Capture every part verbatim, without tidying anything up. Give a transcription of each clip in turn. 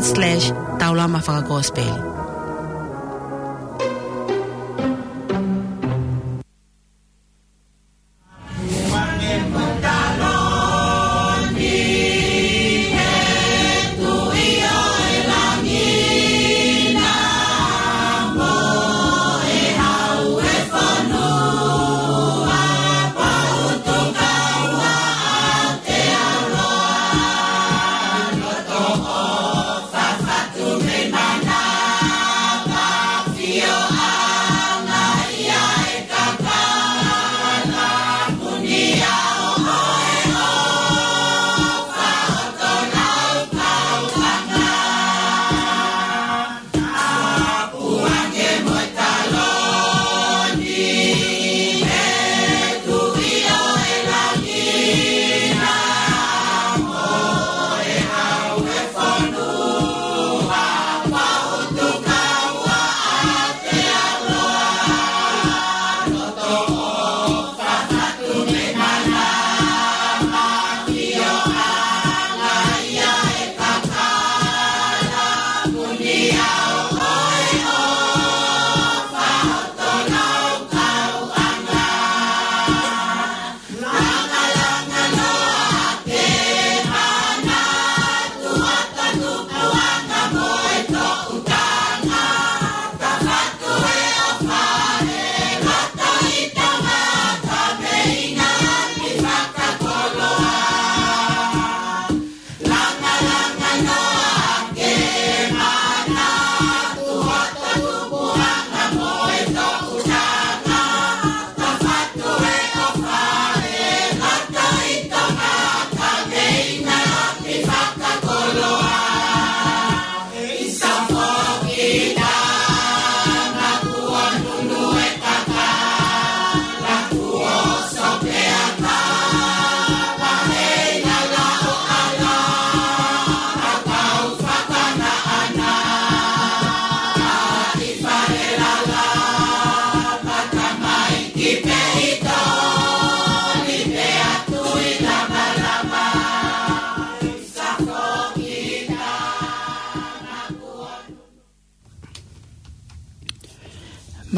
slash Taulama Fakakosipeli.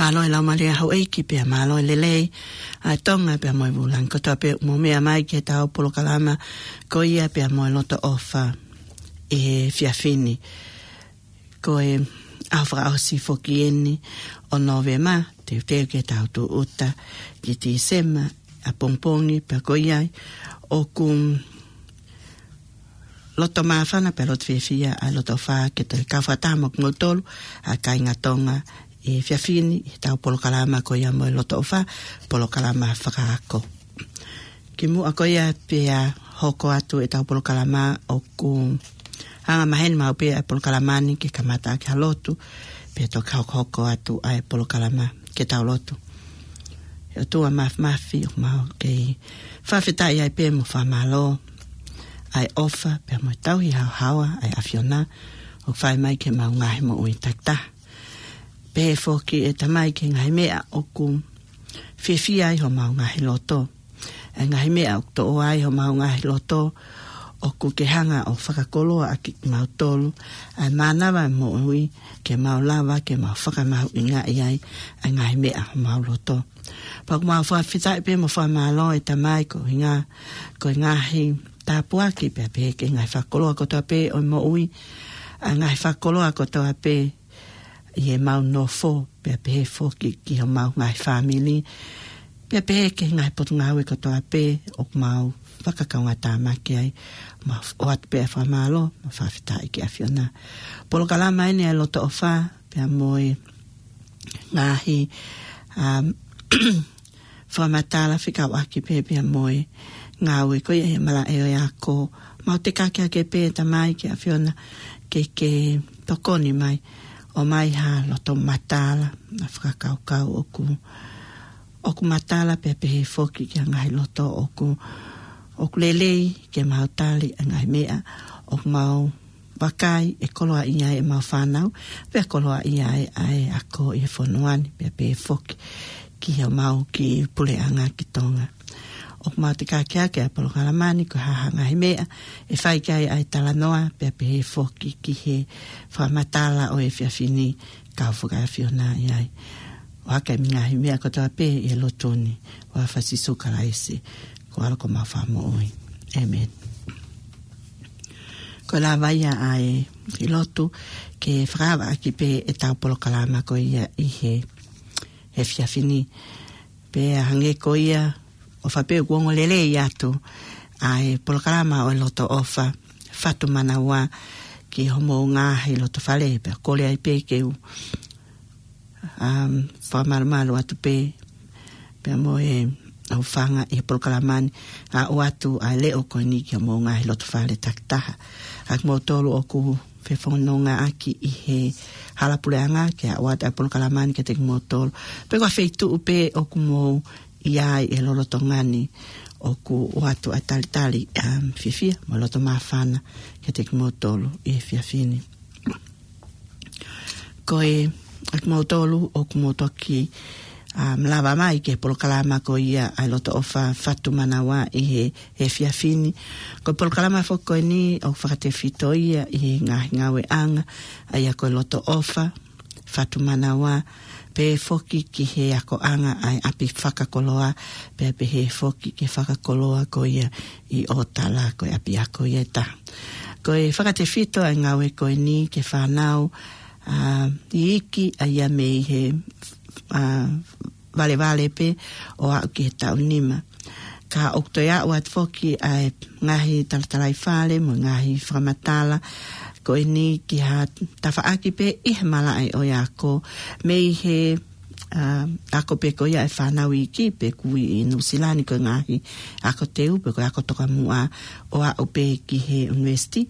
Mālō e laumālie ʻa houʻeiki pea mālō e lelei ʻa Tonga pea mo e vūlangi kotoa pē ʻoku mou meʻa mai ki heʻetau polokalama ko ia pea mo e loto ʻofa he efiafi ni. Ko e ʻaho fakaʻosi foki eni ʻo Nōvema, teuteu ke tau tūʻuta ki Tīsema, ʻapongipongi pea ko ia ai ʻoku loto māfana pea loto fiefia ʻa e loto ʻofa ke toe kau fakataha mo kimoutolu ʻa e kāinga Tonga he efiafi ni heʻetau polokalama ko ia mo e loto ʻofa, polokalama fakaako. Kimuʻa ko ia pea hoko atu ʻetau polokalama, ʻoku anga maheni maʻu pē ʻa e polokalama ni ke kamata ʻaki ha lotu, pea toki hokohoko atu ʻa e polokalama ke tau lotu. ʻE ʻOtua Māfimafi, ʻoku mau kei fakafetaʻi ai pē mo fakamālō ʻa e ʻofa pea mo e tauhi haohaoa ʻa e ʻAfiona ʻoku fai mai ki heʻemau ngaahi moʻui takitaha. Pehē foki ʻe Tamai ki he ngaahi meʻa ʻoku fiefia ai homau ngaahi loto, ʻa e ngaahi meʻa ʻoku toʻo ai homau ngaahi loto, ʻoku ke hanga ʻo fakakoloa ʻaki kimautolu ʻa e mānava ʻo e moʻui ke mau lava ke mau fakamahuʻingaʻi ai ʻa e ngaahi meʻa homau loto. Pea ʻoku mau fakafetaʻi pē mo fakamālō ʻe Tamai koeʻuhinga ko e ngaahi tāpuaki pea pehē ki he ngaahi fakakoloa kotoa pē ʻo e moʻui, ʻa e ngaahi fakakoloa kotoa pē ʻi heʻemau nofo, pea pehē foki ki homau ngaahi fāmili, pea pehē ki he ngaahi potungāue kotoa pē ʻoku mau fakakaungātāmaki ai. Mau ʻoatu pē ʻa e fakamālō mo e fakafetaʻi ki he ʻAfiona. Polokalama eni ʻa e loto ʻofa pea mo e ngaahi, um, fakamatala fekauʻaki pē pea mo e ngāue ko ia he malaʻe ʻo e ako. Mau tekaki ake pē Tamai ki he ʻAfiona ke ke tokoni mai, ʻomai ha loto matala, ha fakakaukau ʻoku, ʻoku matala pea pehē foki ki he ngaahi loto ʻoku, ʻoku lelei ke mau tali ʻa e ngaahi meʻa ʻoku mau vakai ʻe koloaʻia ai ʻemau fānau, pea koloaʻia ai ʻa e ako ʻi he fonua ni, pea pehē foki ki homau kiʻi puleʻanga ki Tonga. ʻoku mau tekeake ʻa e polokalama ni ko e hā ha ngaahi meʻa ʻe fai ki ai ʻa e talanoa, pea pehē foki ki he fakamatala ʻo e efiafi ni, kau fakaʻafiona ʻi ai. ʻO hake ʻa e ngaahi meʻa kotoa pē ʻi he lotu ni, ʻofa ʻa Sīsū Kalaisi, ko e ʻAlo ko homau Fakamoʻui. ʻĒmeni. Ko e lava ia ʻa e lotu ke fakaava ʻaki pē ʻetau polokalama ko ia ʻi he efiafi ni. Pea hangē ko ia, ʻofa pē ʻoku ongo lelei atu ʻa e polokalama ʻo e Loto ʻOfa Fatu Manaua ki homou ngaahi loto fale, pea kole ai pē ke u, um, fakamalumalu atu pē, pea mo e ʻofaʻanga ʻi he polokalama ni, ʻa ʻoatu ʻa e leʻo ko eni ki homou ngaahi loto fale takitaha. ʻA kimoutolu ʻoku fefonongaʻaki ʻi he hala puleʻanga, ke ʻoatu ʻa e polokalama ni kiate kimoutolu. Pe ko ha feituʻu pē ʻoku mou ʻi ai ʻi he lolotonga ni, ʻoku ʻoatu ʻa e talitali, um, fiefia mo e loto māfana kiate kimoutolu ʻi he efiafi ni. Ko e, ʻa kimoutolu ʻoku mou toki, um, lava mai ki he polokalama ko ia ʻa e Loto ʻOfa Fatu Manaua ʻi he, he efiafi ni. Ko e polokalama foki ko eni ʻoku fakatefito ia ʻi he ngaahi ngāueʻanga, ʻa ia ko e Loto ʻOfa Fatu Manaua, pea foki ki he akoʻanga ʻa e ʻapi fakakoloa, pea pehē foki ki he fakakoloa ko ia ʻi ʻOtala, ko e ʻapiako ia ʻe taha. Ko e fakatefito ʻa e ngāue ko eni ki he fānau, ʻa, iiki, ʻa ia mei he, ʻa, valevale pē ʻo aʻu ki he taʻu nima. Ka ʻoku toe aʻu atu foki ʻa e ngaahi talatalaifale mo e ngaahi fakamatala ko eni ki ha tafaʻaki pē ʻi he malaʻe ʻo e ako, mei he, ʻa, ako pē ko ia ʻa e fānau iiki pe ʻoku ui ʻi Nuʻusila ni ko e ngaahi ako teu pe ko e ako tokamuʻa, ʻo aʻu pē ki he ʻunivēsiti,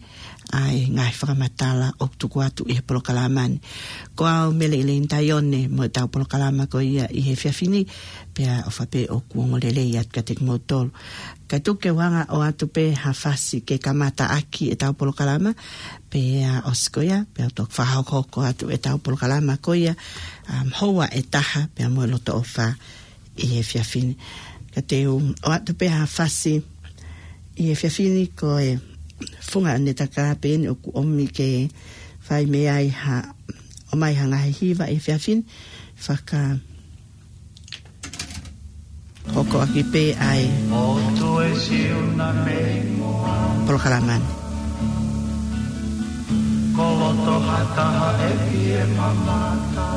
ʻa e ngaahi fakamatala ʻoku tuku atu ʻi he polokalama ni. Ko au Mele ʻIleini Taione mo ʻetau polokalama ko ia ʻi he efiafi ni, pea ʻofa pē ʻoku ongo lelei atu kiate kimoutolu. Kae tuku ke u hanga ʻo ʻoatu pē ha fasi ke kamata ʻaki ʻetau polokalama, pea ʻosi ko ia, pea toki fakahokohoko atu ʻetau polokalama ko ia, um, houa ʻe taha, pea mo e Loto ʻOfa ʻi he efiafi ni. Ka te u ʻoatu pē ha fasi ʻi he efiafi ni, ko e funga ʻanetaka pē eni ʻoku ʻomi ke fai mei ai ha, ʻomai ha ngaahi hiva ʻi he efiafi ni. Fakahokoʻaki pē ʻa e ʻOtu e Siuna mei Moana. Polokalama ni. Ko loto ha taha ʻe fie mamata.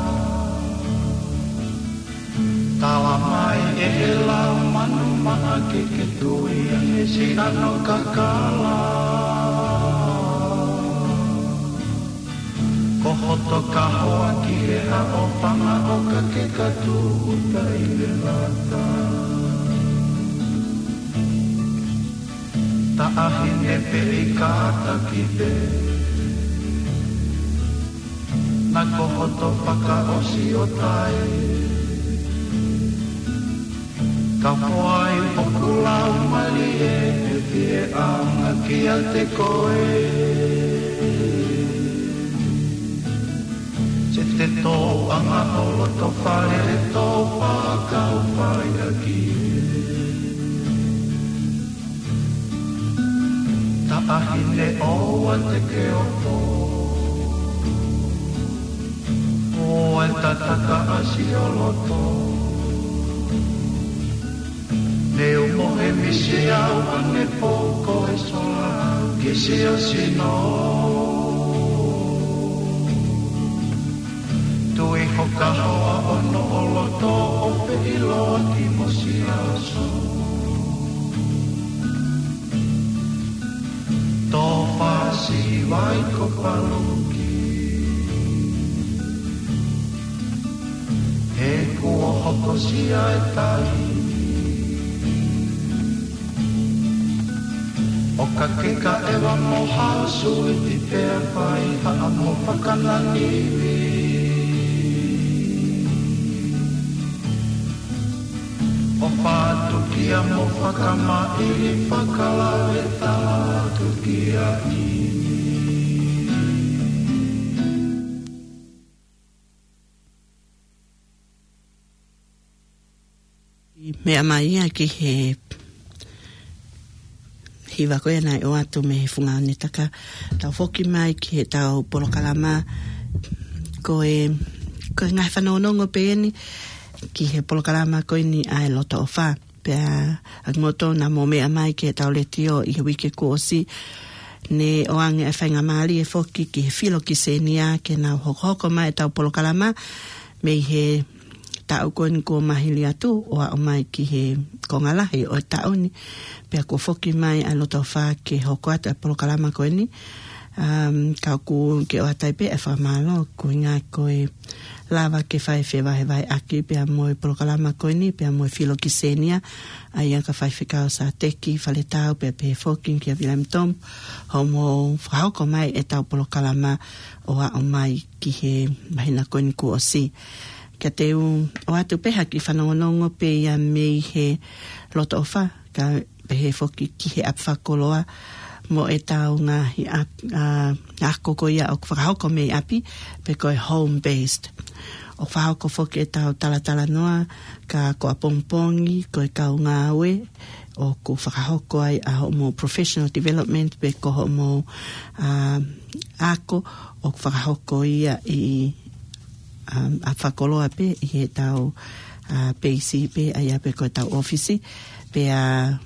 Tala mai ʻe he lau manu maʻa ke ke tui ange siʻano kakala. Ko hoto kahoa ki he haʻo fanga ʻoka ke katu uta ʻi he lata. Taʻahine pē ʻi kātaki pē. Na ko hoto fakaʻosi ʻo tai. Ka foʻi ʻoku lau malie ʻe fie ʻaonga kiate koe. Se te tōʻanga ʻo loto fale ʻe tō fakau fai ʻaki. Taʻahine ʻoua te ke opo. ʻO e tataka ʻasi ʻo loto. Ne u mohe misi au ʻanepō ko e sola kisi ʻo sino. Tui ho kahoa ʻo noʻo loto ʻo feʻiloaki mo siaoso. Tō fasi vai ko paluki. He kuo hokosia e tai. ʻO ka ke ka ʻeva mo hao suiti pea fai haʻamo fakananivi. ʻO fātukia mo fakamaʻili fakalave tātukia ʻi. Meʻa mai ia ki he Hiva ko ia naʻe ʻoatu mei he Funga ʻOnitaka. Tau foki mai ki heʻetau polokalama, ko e, ko e ngaahi fanongonongo pē eni ki he polokalama ko eni ʻa e Loto ʻOfa. Pea ʻa kimoutolu naʻa mou meʻa mai ki heʻetau letiō ʻi he uike kuo ʻosi, ne ʻoange ʻa e faingamālie foki ki he filokisenia ke nau hokohoko mai ʻetau polokalama mei he taʻu ko eni kuo mahili atu ʻo aʻu mai ki he konga lahi ʻo e taʻu ni. Pea kuo foki mai ʻa e Loto ʻOfa ke hoko atu ʻa e polokalama ko eni. Um, ka ʻoku ke ʻoatu ai pē ʻa e fakamālō, ko e ʻuhinga ko e lava ke fai fevahevaheʻaki pea mo e polokalama ko eni, pea mo e filokisenia, ʻa ia ko e faifekau Sateki Faletau, pea pehē foki kia William Tom, hoʻomou fakahoko mai ʻetau polokalama ʻo aʻu mai ki he māhina ko eni kuo ʻosi. Ka te u ʻoatu pē ha kiʻi fanongonongo pē ia mei he Loto ʻOfa, kae pehē foki ki he ʻapi fakakoloa mo ʻetau ngaahi ʻap-, ʻa, ako ko ia ʻoku fakahoko mei ʻapi, pe ko e home based. ʻOku fakahoko foki ʻetau talatalanoa, ka ko ʻapongipongi, ko e kau ngāue ʻoku fakahoko ai ʻa hoʻomou professional development pe ko hoʻomou, ʻa, ako, ʻoku fakahoko ia ʻi, um, ʻapi fakakoloa pē ʻi heʻetau, ʻa, peisi pē, ʻa ia pē ko ʻetau ʻōfisi, pea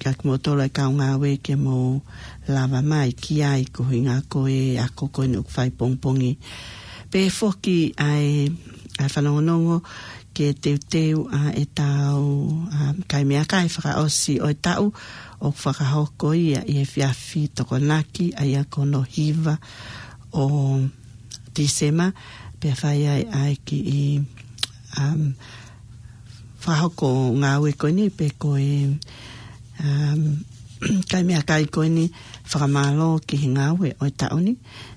kia kimoutolu ʻa e kau ngāue ke mou lava mai ki ai, ko e ʻuhinga ko e ako ko eni ʻoku fai pongipongi. Pehē foki ʻa e, ʻa e fanongonongo ke teuteu ʻa ʻetau, um, kai meʻakai fakaʻosi ʻo e taʻu, ʻoku fakahoko ia ʻi he efiafi Tokonaki, ʻa ia ko hono hiva ʻo Tīsema, pea fai ai ʻa e kiʻi, um, fakahoko ngāue ko eni pe ko e, um, kai meʻakai ko eni fakamālō ki he ngāue ʻo e taʻu ni,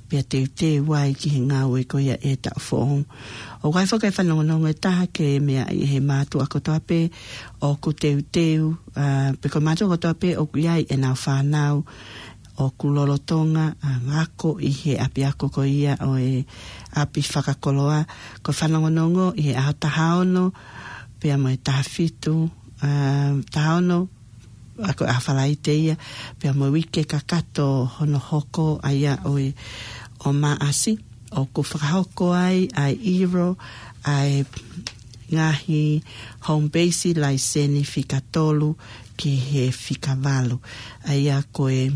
pea teuteu ai ki he ngāue ko ia ʻo e taʻu foʻou. ʻOku ʻi ai foki e fanongonongo ʻe taha ke meaʻi ʻe he mātuʻa kotoa pē ʻoku teuteu, ʻa, pe ko e mātuʻa kotoa pē ʻoku ʻi ai ʻenau fānau ʻoku lolotonga, ʻa, ako ʻi he ʻapiako ko ia ʻo e ʻapi fakakoloa. Ko e fanongonongo ʻi he ʻaho taha ono, pea mo e taha fitu, ʻa, taha ono, ʻa, ko e ʻaho Falaite ia, pea mo e uike kakato hono hoko ʻa ia ʻo e, ʻo Maʻasi, ʻoku fakahoko ai ʻa e ʻilo ʻa e ngaahi home base laiseni fika tolu ki he fika valu. ʻA ia ko e,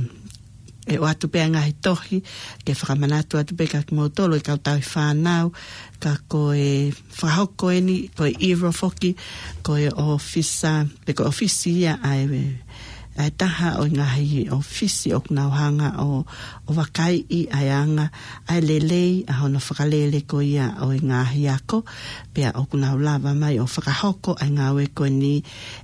ʻe ʻoatu pē ʻa e ngaahi tohi, ke fakamanatu atu pē kia kimoutolu ʻa e kau tauhi fānau, ka ko e fakahoko eni, ko e ʻilo foki, ko e ʻōfisa, pe ko e ʻōfisi ia ʻa e, ʻa e taha ʻo e ngaahi ʻōfisi ʻoku nau hanga ʻo, ʻo vakaiʻi ʻa e anga, ʻa e lelei, ʻa hono fakalele ko ia ʻo e ngaahi ako, pea ʻoku nau lava mai ʻo fakahoko ʻa e ngāue ko eni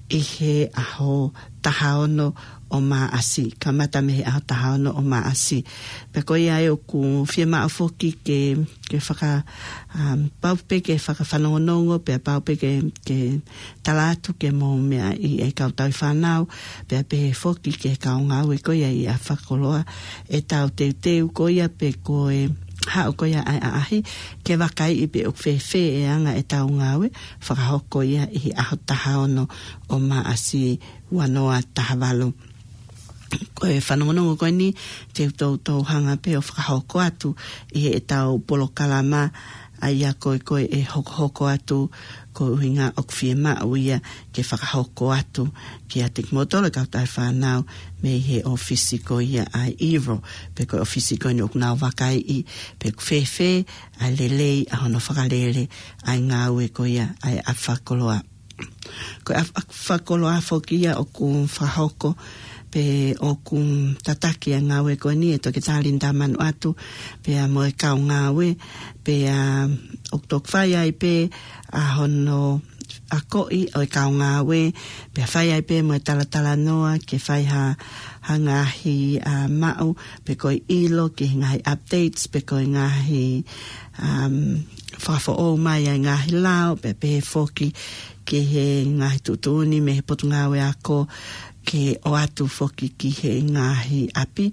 ʻi he ʻaho taha ono ʻo Maʻasi, kamata mei he ʻaho taha ono ʻo Maʻasi. Pea ko ia ʻoku fiemaʻu foki ke, ke faka, um, pau pē ke fakafanongonongo, pea pau pē ke, ke tala atu ke mou meaʻi ʻe he kau tauhi fānau, pea pehē foki ki he kau ngāue ko ia ʻi ʻapi fakakoloa, ʻetau teuteu ko ia pe ko e haʻu ko ia ʻa e ʻaʻahi, ke vakaiʻi pe ʻoku fēfē e anga ʻetau ngāue, fakahoko ia ʻi he ʻaho taha ono ʻo Maʻasi ua noa taha valu. Ko e fanongonongo ko eni, te u toutou hanga pē ʻo fakahoko atu ʻi heʻetau polokalama, ʻa ia ko e, ko e hokohoko atu, ko e ʻuhinga ʻoku fiemaʻu ia ke fakahoko atu kiate kimoutolu ʻa e kau tauhi fānau mei he ʻōfisi ko ia ʻa e ʻilo, pe ko e ʻōfisi ko eni ʻoku nau vakaiʻi pe ʻoku fēfē ʻa e lelei ʻa hono fakalele ʻa e ngāue ko ia ʻa e ʻapi fakakoloa. Ko e ʻapi fakakoloa foki ia ʻoku fakahoko pe ʻoku tataki ʻa e ngāue ko eni ʻe Toketā Linda Manuʻatu, pea mo e kau ngāue, pea ʻoku toki fai ai pē ʻa hono akoʻi ʻo e kau ngāue, pea fai ai pē mo e talatalanoa ke fai ha, ha ngaahi, ʻa, maʻu, pe ko e ʻilo ki he ngaahi updates, pe ko e ngaahi, um, fakafoʻou mai ʻa e ngaahi lao, pea pehē foki ki he ngaahi tuʻutuʻuni mei he Potungāue Ako ke ʻoatu foki ki he ngaahi ʻapi,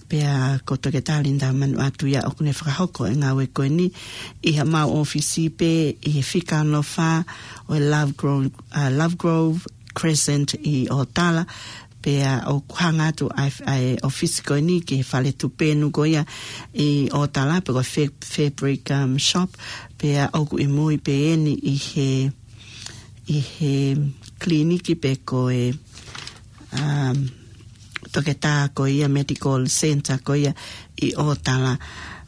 pea ko Toketā Linda Manuʻatu ia ʻoku ne fakahoko e ngāue ko eni ʻi haʻamau ʻōfisi pē ʻi he fika ono fā ʻo e Lovegrove, ʻa, Lovegrove Crescent ʻi ʻŌtala, Pea ʻoku hanga atu ʻa e, ʻa e ʻōfisi ko eni ki he fale tupenu ko ia ʻi Ōtala, pe ko e fa-, fabric, um, shop, pea ʻoku ʻi mui pē eni ʻi he, ʻi he kiliniki pe ko e, um, toketā ko ia, medical center ko ia ʻi Ōtala.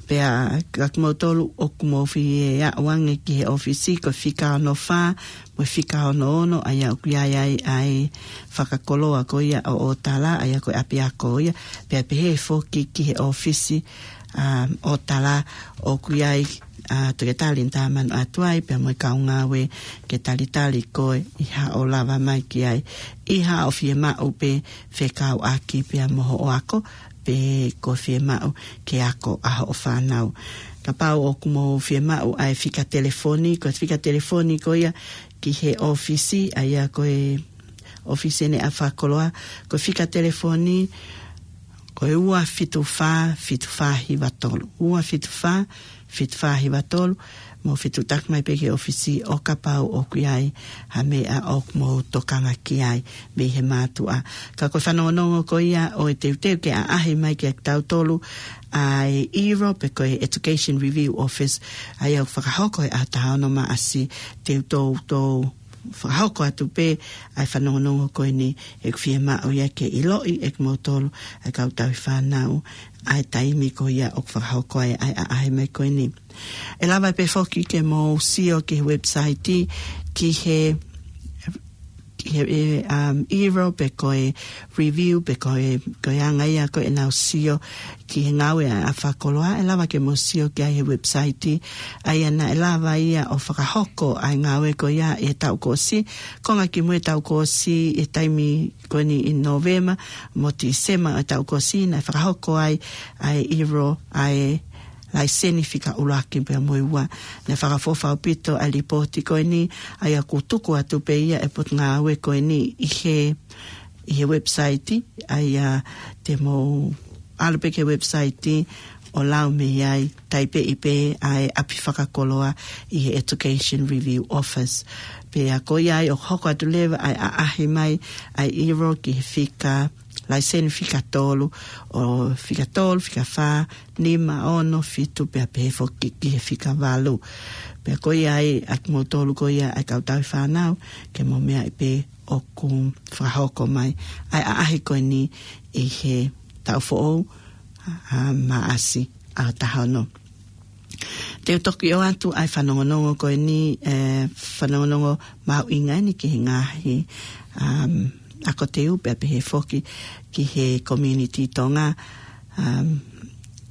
Pea ka kimoutolu ʻoku mou fie aʻu ange ki he ʻōfisi, ko e fika ono fā mo e fika ono ono, ʻa ia ʻoku ʻi ai ʻa e fakakoloa ko ia ʻo Ōtala, ʻa ia ko e ʻapiako ia, pea pehē foki ki he ʻōfisi, um, Ōtala ʻoku ʻi ai ʻa Toketā Linitā Manuʻatuai, pea mo e kau ngāue ke talitali koe ʻi haʻo lava mai ki ai. ʻI haʻo fiemaʻu pē fekauʻaki pea mo hoʻo ako, pe ko e fiemaʻu ke ako ʻa hoʻo fānau. Kapau ʻoku mou fiemaʻu ʻa e fika telefoni, ko e fika telefoni ko ia ki he ʻōfisi, ʻa ia ko e ʻōfisi eni ʻa e fakakoloa, ko e fika telefoni, ko e ua fitu fā, fitu fā hiva tolu. Ua fitu fā, fitu fā hiva tolu, mou fetuʻutaki mai pē ki he ʻōfisi ʻo kapau ʻoku ʻi ai ha meʻa ʻoku mou tokanga ki ai mei he mātuʻa. Ka ko e fanongonongo ko ia ʻo e teuteu ke ʻaʻahi mai kia kitautolu ʻa e ERO pe ko e Education Review Office, ʻa ia ʻoku fakahoko he ʻaho taha ono Maʻasi, te u toutou fakahoko atu pē ʻa e fanongonongo ko eni, ʻoku fiemaʻu ia ke ʻiloʻi ʻe kimoutolu ʻa e kau tauhi fānau ʻa e taimi ko ia ʻoku fakahoko ai ʻa e ʻaʻahi mai ko eni. ʻE lava pē foki ke mou sio ki he website, ki he, ki he, e, um, ERO pe ko e review pe ko e, ko e anga ia ko ē ʻenau sio ki he ngāue ʻa e fakakoloa, ʻe lava ke mou sio ki ai he website, ʻa ia naʻe lava ia ʻo fakahoko ʻa e ngāue ko ia he taʻu kuo ʻosi, konga ki mui he taʻu kuo ʻosi he taimi ko eni ʻi Nōvema mo Tīsema he taʻu kuo ʻosi, naʻe fakahoko ai ʻa e ERO ʻa e laiseni fika ʻuluaki pea mo e ua. Naʻe fakaʻofoʻofa ʻaupito ʻa e lipooti ko eni, ʻa ia ʻoku tuku atu pē ia ʻe he potungāue ko eni ʻi he, ʻi he website, ʻa ia te mou ʻalu pē ki he website ʻo lau mei ai, taipeʻi pē ʻa e ʻapi fakakoloa ʻi he Education Review Office. Pea ko ia ai ʻoku hoko atu leva ʻa e ʻaʻahi mai ʻa e ERO ki he fika laiseni fika tolu, ʻo fika tolu, fika fā, nima, ono, fitu, pea pehē foki ki he fika valu. Pea ko ia ai ʻa kimoutolu ko ia ʻa e kau tauhi fānau, ke mou meaʻi pē ʻoku fakahoko mai ʻa e ʻaʻahi ko eni ʻi he taʻu foʻou, ʻa, Maʻasi ʻaho taha ono. Te u toki ʻoatu ʻa e fanongonongo ko eni, e, fanongonongo mahuʻinga eni ki he ngaahi, um, ako teu pea pehē foki ki he community Tonga, um,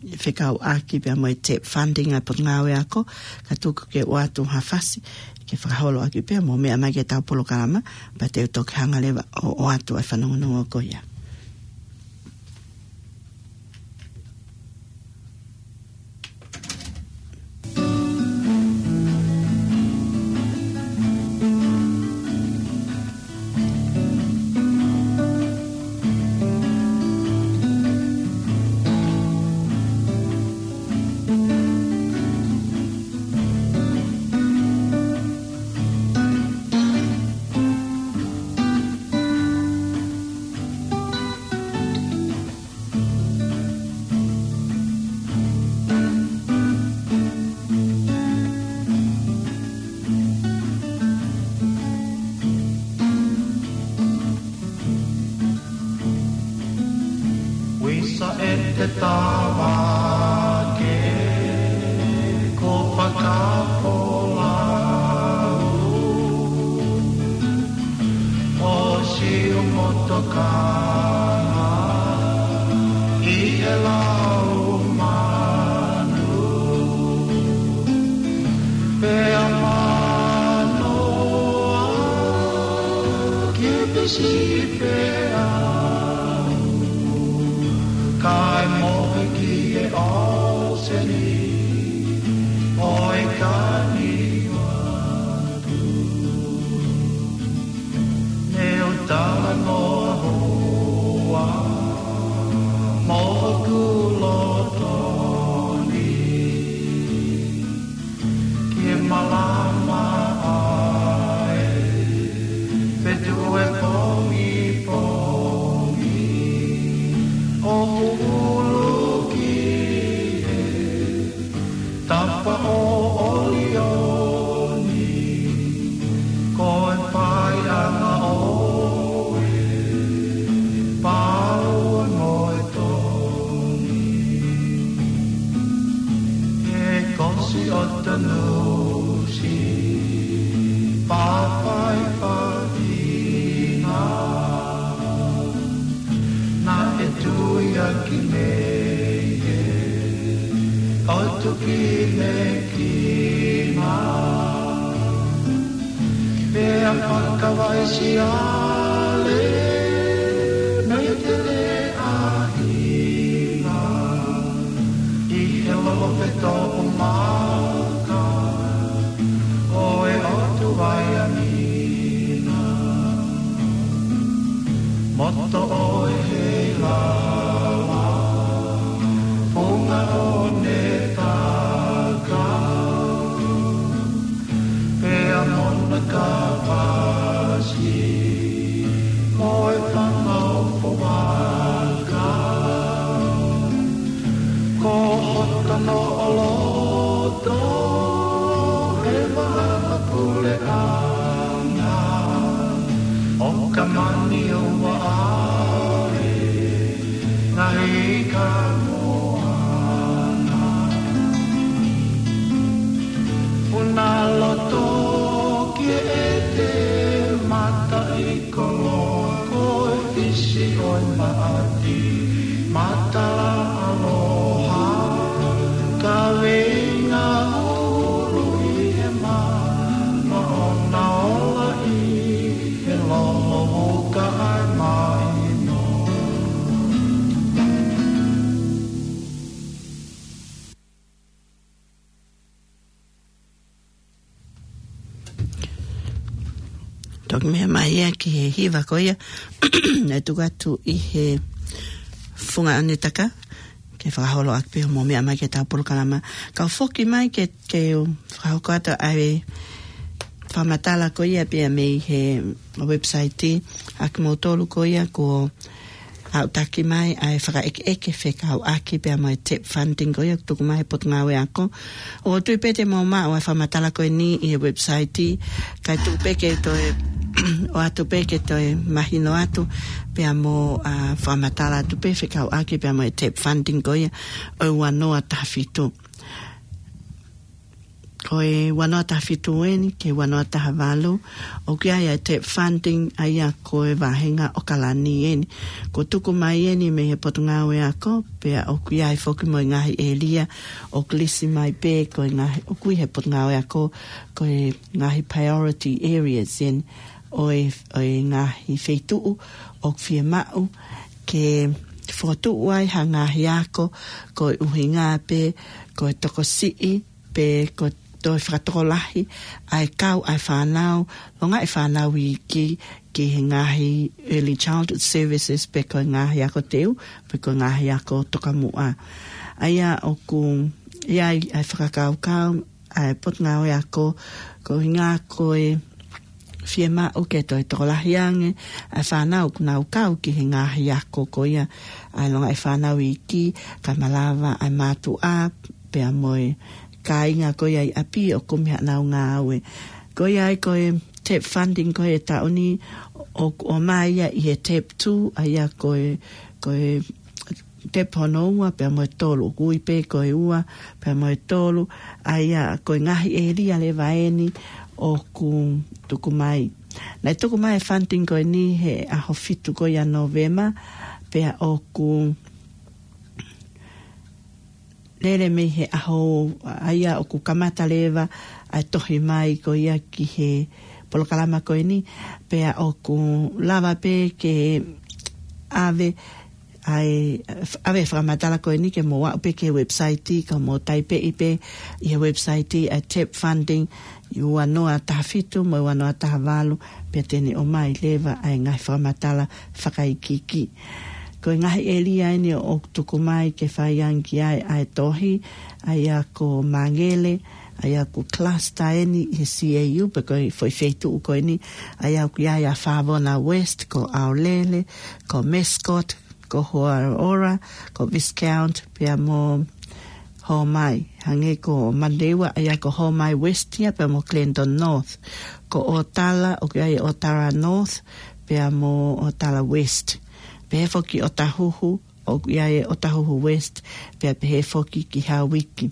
fekauʻaki pea mo e TEP funding ʻa e potungāue ako, ka tuku ke u ʻoatu ha fasi ke fakaholoʻaki pea mou meʻa mai ki heʻetau polokalama, pea te u toki hanga leva ʻo, ʻoatu ʻa e fanongonongo ko ia. Wisa e te tava ke ko Pakapolau. ʻO siu motokanga ʻi he lau manu. Pea manoa ki pisi pea kae mohe ki he ʻōseni ʻo e kani manu. Ne u talanoa hoa mo hoku loto ni ke malama ai pe tuʻu e pongipongi. ʻo Tanusi, pāpai pāpina, naʻe tuiaki nei ē, ʻo tuki ne kina. Pea fakavaisiale mei te le ʻahinga ʻi he loʻo feto umaka ʻo e ʻOtu Vaianina. Moto ʻo e heilaua, funga ʻo ne taka, pea mona ka pasi, mo e fanga ʻofa vaka. Ko hota noʻo loto, he vahaʻa puleʻanga, ʻo ka mani ʻo vaʻa e ngaahi ka moana. Puna loto ki e te mata i koloa ko e fisi ʻo e maʻati. Mata aloha, ka veinga ulu ʻi he mana ʻo na ola ʻi he lolo uka ai mai no. Toki meʻa mai ia ki he hiva ko ia, naʻe tuku atu ʻi he funga ʻanetaka, ke fakaholo ʻaki pē hoʻomo meʻa mai ki heʻetau polokalama. Kau foki mai ke, ke u fakahoko atu ʻa e fakamatala ko ia pea mei he website ʻa kimoutolu ko ia ko aʻu taki mai ʻa e fakaʻekeʻeke fekauʻaki pea mo e tep funding ko ia ʻoku tuku mai he Potungāue Ako. ʻOku ou tui pē te mou maʻu ʻa e fakamatala ko eni ʻi he website, kae tuku pē ke toe, ʻoatu pē ke toe mahino atu, pea mo, ʻa, fakamatala atu pē fekauʻaki pea mo e tep funding ko ia ʻo e ua noa taha fitu. Ko e ua noa taha fitu eni ki he ua noa taha valu, ʻoku ʻi ai ʻa e tep funding, ʻa ia ko e vāhenga ʻOkalani eni. Kuo tuku mai eni mei he Potungāue Ako, pea ʻoku ʻi ai foki mo e ngaahi ʻēlia ʻoku lisi mai pē ko e ngaahi, ʻoku ʻi he Potungāue Ako, ko e ngaahi priority areas eni ʻo e, ʻo e ngaahi feituʻu ʻoku fiemaʻu ke fokotuʻu ai ha ngaahi ako, ko e ʻuhinga pē ko e tokosiʻi, pe ko e toe fakatokolahi ʻa e kau ʻa e fānau, longaʻi fānau iiki ki he ngaahi early childhood services pe ko e ngaahi ako teu, pe ko e ngaahi ako tokamuʻa. ʻA ia ʻoku ʻi ai ʻa e fakakaukau ʻa e Potungāue Ako, ko e ʻuhinga ko e fiemaʻu ke toe tokolahi ange ʻa e fānau ʻoku nau kau ki he ngaahi ako ko ia, ʻa e longaʻi fānau iiki, kae malava ʻa e mātuʻa, pea mo e kāinga ko ia ʻi ʻapi ʻoku kumi haʻanau ngāue. Ko ia ai ko e tep funding ko e taʻu ni ʻoku ʻomai ia ʻi he tep two, ʻa ia ko e, ko e tep hono ua pea mo e tolu, ʻoku ui pē ko e ua pea mo e tolu, ʻa ia ko e ngaahi ʻēlia leva eni ʻoku tuku mai. Naʻe tuku mai e funding ko eni he ʻaho fitu ko ia Novema, pea ʻoku lele mei he ʻaho, ʻa ia ʻoku kamata leva ʻa e tohi mai ko ia ki he polokalama ko eni, pea ʻoku lava pē ke ʻave ʻa e, ʻave e fakamatala ko eni ke mou aʻu pē ki he website, ka mou taipeʻi pē ʻi he website ʻa e tep funding, ʻi ua noa taha fitu mo e ua noa taha valu, pea te ne ʻomai leva ʻa e ngaahi fakamatala fakaikiiki. Ko e ngaahi ʻēlia eni ʻoku tuku mai ke fai ange ki ai ʻa e tohi, ʻa ia ko Māngele, ʻa ia ko e cluster eni ʻi he C A U, pe ko e foʻi feituʻu ko eni, ʻa ia ʻoku ʻi ai ʻa Favona West, ko ʻAulele, ko Mascot, ko Hoaroa, ko Viscount, pea mo Homai. Hangē ko Manurewa, ʻa ia ko Homai West ia, pea mo Clandon North. Ko ʻOtala, ʻoku ʻi ai ʻOtala North, pea mo ʻOtala West. Pehē foki ʻOtahuhu, ʻoku ʻi ai ʻOtahuhu West, pea pehē foki ki Hauiki.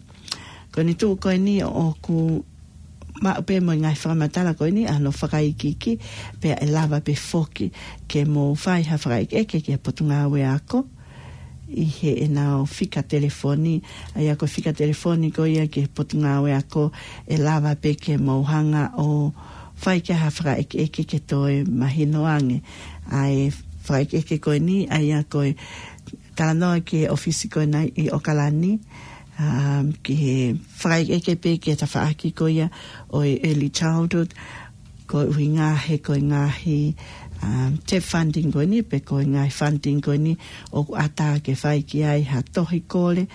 Ko eni tuʻu ko eni ʻoku maʻu pē mo e ngaahi fakamatala ko eni ʻa hono fakaikiiki, pea ʻe lava pē foki ke mou fai ha fakaʻekeʻeke ki he Potungāue Ako ʻi heʻenau fika telefoni. ʻA ia ko e fika telefoni ko ia ki he Potungāue Ako, ʻe lava pē ke mou hanga ʻo fai ki ai ha fakaʻekeʻeke ke toe mahino ange ʻa e fakaʻekeʻeke ko eni, ʻa ia ko e talanoa ki he ʻōfisi ko ena ʻi ʻOkalani, um, ki he fakaʻekeʻeke pē ki he tafaʻaki ko ia ʻo e early childhood, koeʻuhi he ko e ngaahi, um, TEP funding ko eni, pe ko e ngaahi funding ko eni ʻoku ʻatā ke fai ki ai ha tohi kole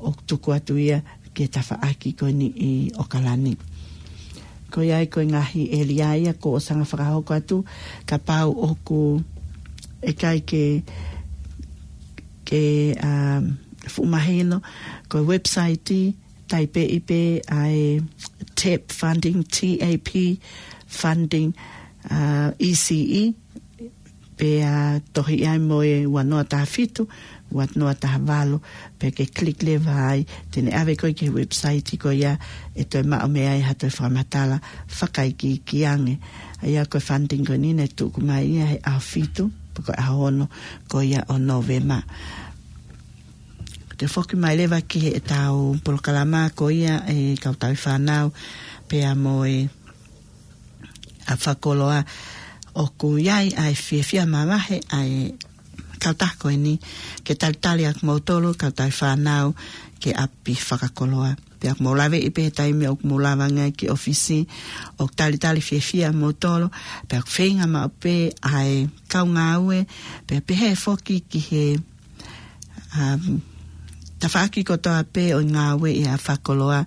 ʻoku tuku atu ia ki he tafaʻaki ko eni ʻi ʻOkalani. Ko ia ai ko e ngaahi ʻēlia ia ko ʻosi ʻanga fakahoko atu, kapau ʻoku ʻikai ke, ke, um, fuʻu mahino, ko e website, taipeʻi pē ʻa e TEP funding, T A P funding, uh, E C E, pea tohi ai mo e ua noa taha fitu, ua noa taha valu, pea ke click leva ai, te ne ʻave koe ki he website ko ia ʻe toe maʻu mei ai ha toe fakamatala fakaikiiki ange. ʻA ia ko e funding ko eni ne tuku mai ia he ʻaho fitu, pe ko e ʻaho ono ko ia ʻo Nōvema. Te u foki mai leva ki heʻetau polokalama ko ia ʻa e kau tauhi fānau, pea mo e ʻapi fakakoloa, ʻoku ʻi ai ʻa e fiefia mavahe ʻa e kautaha ko eni ke talitali ʻa kimoutolu kau tauhi fānau ki he ʻapi fakakoloa. Pea ʻoku mou laveʻi pē he taimi ʻoku mou lava ange ai ki ʻōfisi, ʻoku talitali fiefia kimoutolu, pea ʻoku feinga maʻu pē ʻa e kau ngāue, pea pehē foki ki he, um, tafaʻaki kotoa pē ʻo e ngāue ʻi he ʻapi fakakoloa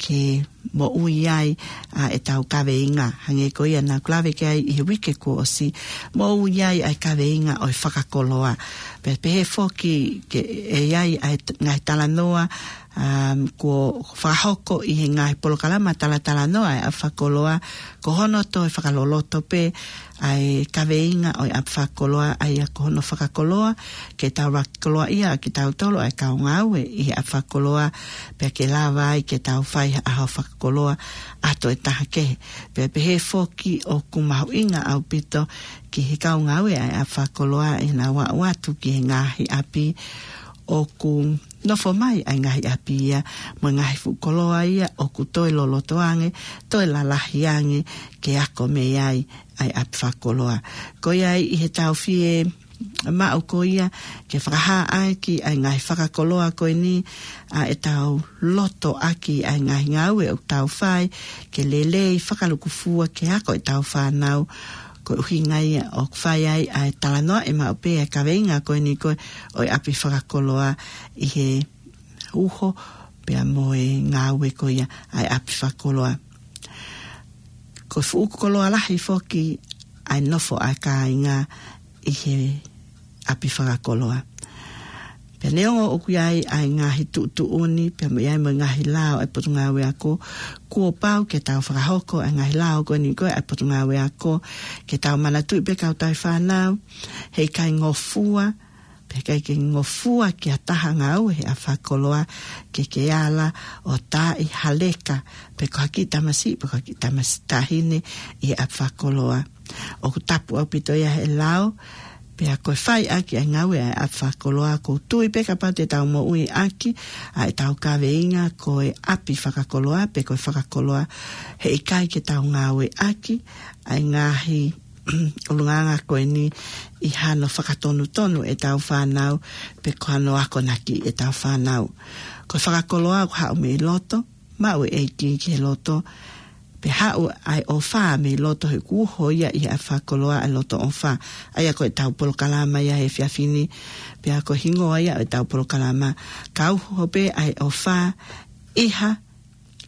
ke moʻui ai ʻa ʻetau kaveinga. Hangē ko ia naʻa ku lave ki ai ʻi he uike kuo ʻosi, moʻui ai ʻa e kaveinga ʻo e fakakoloa. Pea pehē foki ke ʻi ai ʻa e t-, ngaahi talanoa, um, kuo fakahoko ʻi he ngaahi polokalama talatalanoa ʻa e ʻapi fakakoloa, ko hono toe fakaloloto pē ʻa e kaveinga ʻo e ʻapi fakakoloa, ʻa ia ko hono fakakoloa, ke tau fakakoloaʻia ʻa kitautolu ʻa e kau ngāue ʻi he ʻapi fakakoloa, pea ke lava ai ke tau fai ha ʻaho fakakoloa ʻa e toe taha kehe. Pea pehē foki ʻoku mahuʻinga ʻaupito ki he kau ngāue ʻa e ʻapi fakakoloa ʻenau aʻu atu ki he ngaahi ʻapi ʻoku nofo mai ai ngaahi ʻapi ia, mo e ngaahi fuʻu koloa ia ʻoku toe loloto ange, toe lalahi ange, ke ako mei ai ʻa e ʻapi fakakoloa. Ko ia ai ʻi heʻetau fie maʻu ko ia ke fakahā ʻaki ʻa e ngaahi fakakoloa ko eni ʻa ʻetau loto ʻaki ʻa e ngaahi ngāue ʻoku tau fai, ke lelei fakalūkufua ke ako ʻetau fānau, ko e ʻuhinga ia ʻoku fai ai ʻa e talanoaʻi maʻu pē ʻa e kaveinga ko eni ko ē ʻo e ʻapi fakakoloa ʻi he uho pea mo e ngāue ko ia ʻa e ʻapi fakakoloa. Ko e fuʻu koloa lahi foki ʻa e nofo ʻa e kāinga ʻi he ʻapi fakakoloa. Pea neongo ʻoku ʻi ai ʻa e ngaahi tuʻutuʻuni, pea mo ʻi ai mo e ngaahi lao ʻa e Potungāue Ako, kuo pau ke tau fakahoko ʻa e ngaahi lao ko eni ko ē ʻa e Potungāue Ako, ke tau manatuʻi pē kau tauhi fānau, heʻikai ngofua, pea ʻikai ke ngofua ki ha taha ngāue he ʻapi fakakoloa, ke ke ala ʻo taaʻi ha leka, pe ko ha kiʻi tamasiʻi, pe ko ha kiʻi tamasiʻi taʻahine ʻi he ʻapi fakakoloa. ʻOku tapu ʻaupito ia he lao, pea ko e fai ʻaki ʻa e ngāue ʻa e ʻapi fakakoloa, ʻoku ou tui pē kapau te tau moʻui ʻaki ʻa ʻetau kaveinga ko e ʻapi fakakoloa, pe ko e fakakoloa, heʻikai ke tau ngāue ʻaki ʻa e ngaahi ʻulungaanga ko eni ʻi hano fakatonutonu ʻetau fānau, pe ko hano akonaki ʻetau fānau. Ko e fakakoloa ʻoku haʻu mei loto, maʻu e ʻEiki ki he loto, pea haʻu ʻa e ʻofa mei loto he ʻoku uho ia ʻi he ʻapi fakakoloa ʻa e loto ʻofa. ʻA ia ko ʻetau polokalama ia he efiafi ni, pea ko e hingoa ia ʻo ʻetau polokalama, ka uho pē ʻa e ʻofa ʻi ha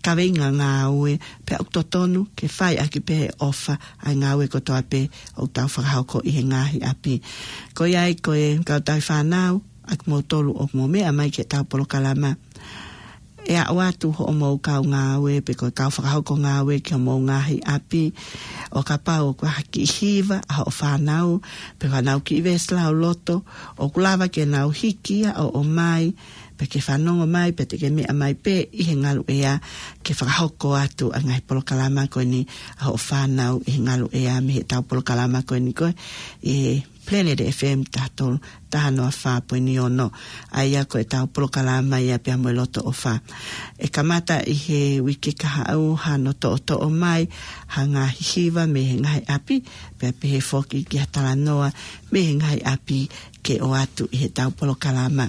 kaveinga ngāue, pea ʻoku totonu ke fai ʻaki pē he ʻofa ʻa e ngāue kotoa pē ʻoku tau fakahoko ʻi he ngaahi ʻapi. Ko ia ai ko e kau tauhi fānau, ʻa kimoutolu ʻoku mou meʻa mai ki heʻetau polokalama, ʻe aʻu atu hoʻomou kau ngāue, pe ko e kau fakahoko ngāue ki homou ngaahi ʻapi, ʻo kapau ʻoku ʻi ai ha kiʻi hiva ʻa hoʻo fānau, pe ko ʻenau kiʻi veesi lauloto, ʻoku lava ke nau hiki ia ʻo ʻomai, ke fanongo mai, pea te ke meʻa mai pē ʻi he ngaluʻea ke fakahoko atu ʻa e ngaahi polokalama ko eni ʻa hoʻo fānau ʻi he ngaluʻea mei heʻetau polokalama ko eni ko ē, ʻi he Planet F M taha tolu, taha noa fā poini ono. ʻA ia ko ʻetau polokalama ia pea mo e Loto ʻOfa. ʻE kamata ʻi he uike kahaʻu hano toʻotoʻo mai ha ngaahi hiva mei he ngaahi ʻapi, pea pehē foki ki ha talanoa mei he ngaahi ʻapi ke ʻoatu ʻi heʻetau polokalama.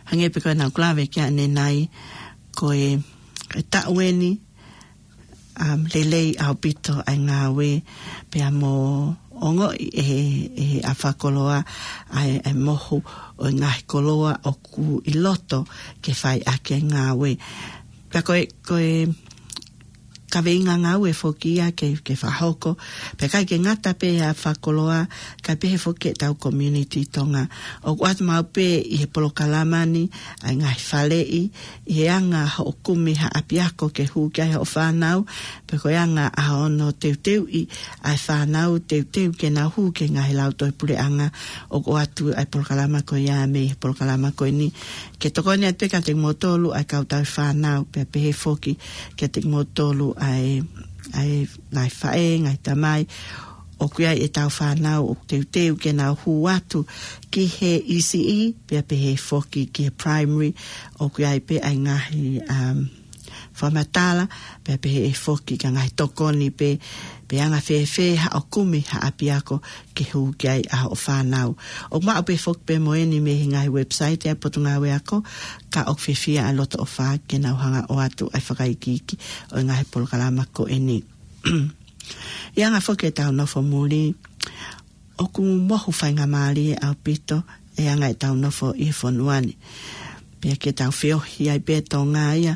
Hangē pē ko ʻeku lave ki ai ʻanenai, ko e, e taʻu eni, um, lelei ʻaupito ʻa e ngāue, pea mo ongoʻi ʻe he, ʻe he ʻapi fakakoloa ʻa e, ʻa e mohu ʻo e ngaahi koloa ʻoku ʻi loto ke fai ʻaki e ngāue. Pea ko e, ko e kaveinga ngāue foki ia ke, ke fakahoko, pea ʻikai ke ngata pē ʻa e ʻapi fakakoloa, kae pehē foki ki heʻetau community Tonga. ʻOku ʻoatu maʻu pē ʻi he polokalama ni ʻa e ngaahi faleʻi, ʻi he anga hoʻo kumi ha ʻapiako ke hū ki ai hoʻo fānau, pe ko e anga ʻa hono teuteuʻi ʻa e fānau, teuteu ke nau hū ki he ngaahi lautohi puleʻanga. ʻOku ʻoatu ʻa e polokalama ko ia mei he polokalama ko eni ke tokoni atu pē kiate kimoutolu ʻa e kau tauhi fānau, pea pehē foki kiate kimoutolu ʻa e, ʻa e ngaahi faʻē, ngaahi tamai, ʻoku ʻi ai ʻetau fānau ʻoku teuteu ke nau hū atu ki he E C E, pea pehē foki ki he primary, ʻoku ʻi ai pē ʻa e ngaahi, um, fakamatala, pea pehē foki ki he ngaahi tokoni pē, pe anga fēfē haʻo kumi ha ʻapiako ke hū ki ai ʻa hoʻo fānau. ʻOku maʻu pē foki pē mo eni mei he ngaahi website ʻa e Potungāue Ako, ka ʻoku fiefia ʻa e Loto ʻOfa ke nau hanga ʻo ʻoatu ʻa e fakaikiiki ʻo e ngaahi polokalama ko eni. ʻI he anga foki ʻetau nofo muli, ʻoku mohu faingamālie ʻaupito e anga ʻetau nofo ʻi he fonua ni. Pea ke tau feohi ai pē Tonga ia,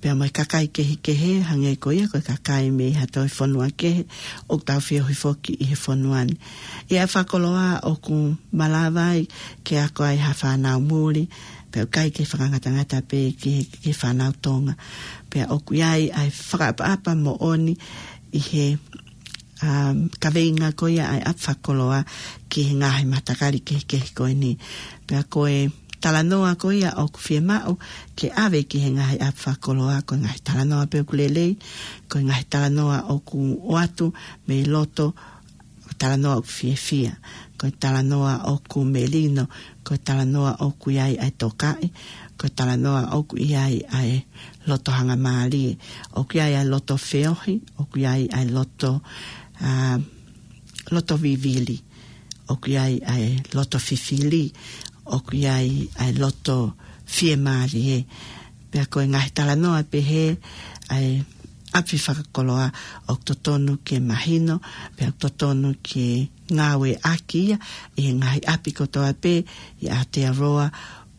pea mo e kakai kehekehe, hangē ko ia ko e kakai mei ha toe fonua kehe, ʻoku tau feohi foki ʻi he fonua ni. ʻI he ʻapi fakakoloa ʻoku malava ai ke ako ai ha fānau muli, pea ʻoku ʻikai ke fakangatangata pē ki he, ki he fānau Tonga. Pea ʻoku ʻi ai ʻa e fakaʻapaʻapa moʻoni ʻi he, um, kaveinga ko ia ʻa e ʻapi fakakoloa ki he ngaahi matakali kehekehe ko eni. Pea ko e talanoa ko ia ʻoku fiemaʻu ke ʻave ki he ngaahi ʻapi fakakoloa, ko e ngaahi talanoa pē ʻoku lelei, ko e ngaahi talanoa ʻoku ʻoatu mei loto, ko e talanoa ʻoku fiefia, ko e talanoa ʻoku melino, ko e talanoa ʻoku ʻi ai ʻa e tokaʻi, ko e talanoa ʻoku ʻi ai ʻa e loto hangamālie, ʻoku ʻi ai ʻa e loto feohi, ʻoku ʻi ai ʻa e loto, ā, loto vivili, ʻoku ʻi ai ʻa e loto fifili, ʻoku ʻi ai ʻa e loto fiemālie. Pea ko e ngaahi talanoa pehē ʻa e ʻapi fakakoloa ʻoku totonu ke mahino, pea ʻoku totonu ke ngāueʻaki ia ʻi he ngaahi ʻapi kotoa pē ʻi Aotearoa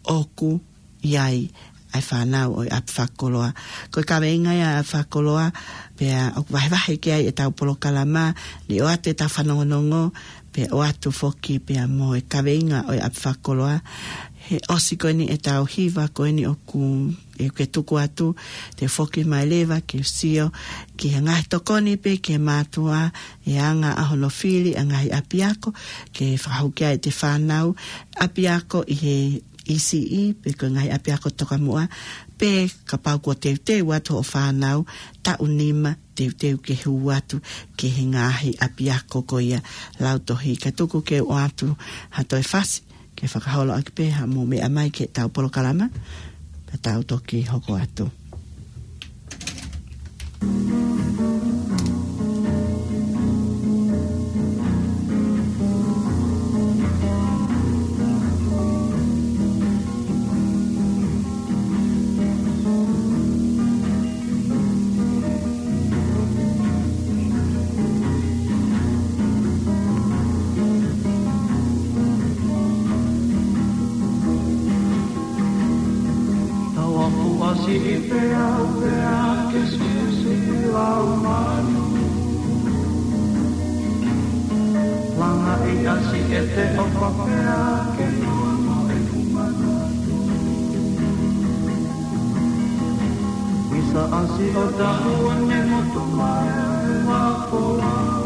ʻoku ʻi ai ʻa e fānau ʻo e ʻapi fakakoloa. Ko e kaveinga ia ʻapi fakakoloa, pea ʻoku vahevahe ki ai ʻetau polokalama, ni ʻoatu ʻetau fanongonongo, pea ʻoatu foki pea mo e kaveinga ʻo e ʻapi fakakoloa. He ʻosi ko eni ʻetau hiva ko eni ʻoku, ʻe ke tuku atu, te u foki mai leva ke sio ki he ngaahi tokoni pē ki he mātuʻa, ʻi he anga ʻa hono fili ʻa e ngaahi ʻapiako, ke fakahū ki ai ʻete fānau, ʻapiako ʻi he E C E, pe ko e ngaahi ʻapiako tokamuʻa, pe kapau kuo teuteu atu hoʻo fānau, taʻu nima, teuteu ke hū atu ki he ngaahi ʻapiako ko ia lautohi. Ka tuku ke u ʻoatu ha toe fasi, ke fakaholoʻaki pē ha mou meʻa mai ki heʻetau polokalama, pea tau toki hoko atu. Tau aku asi i pea u pea ke sisi au manu. Langa i asi e te o papea ke nono e kumanu. Misa asi o tahu ne motu mai e wapo au.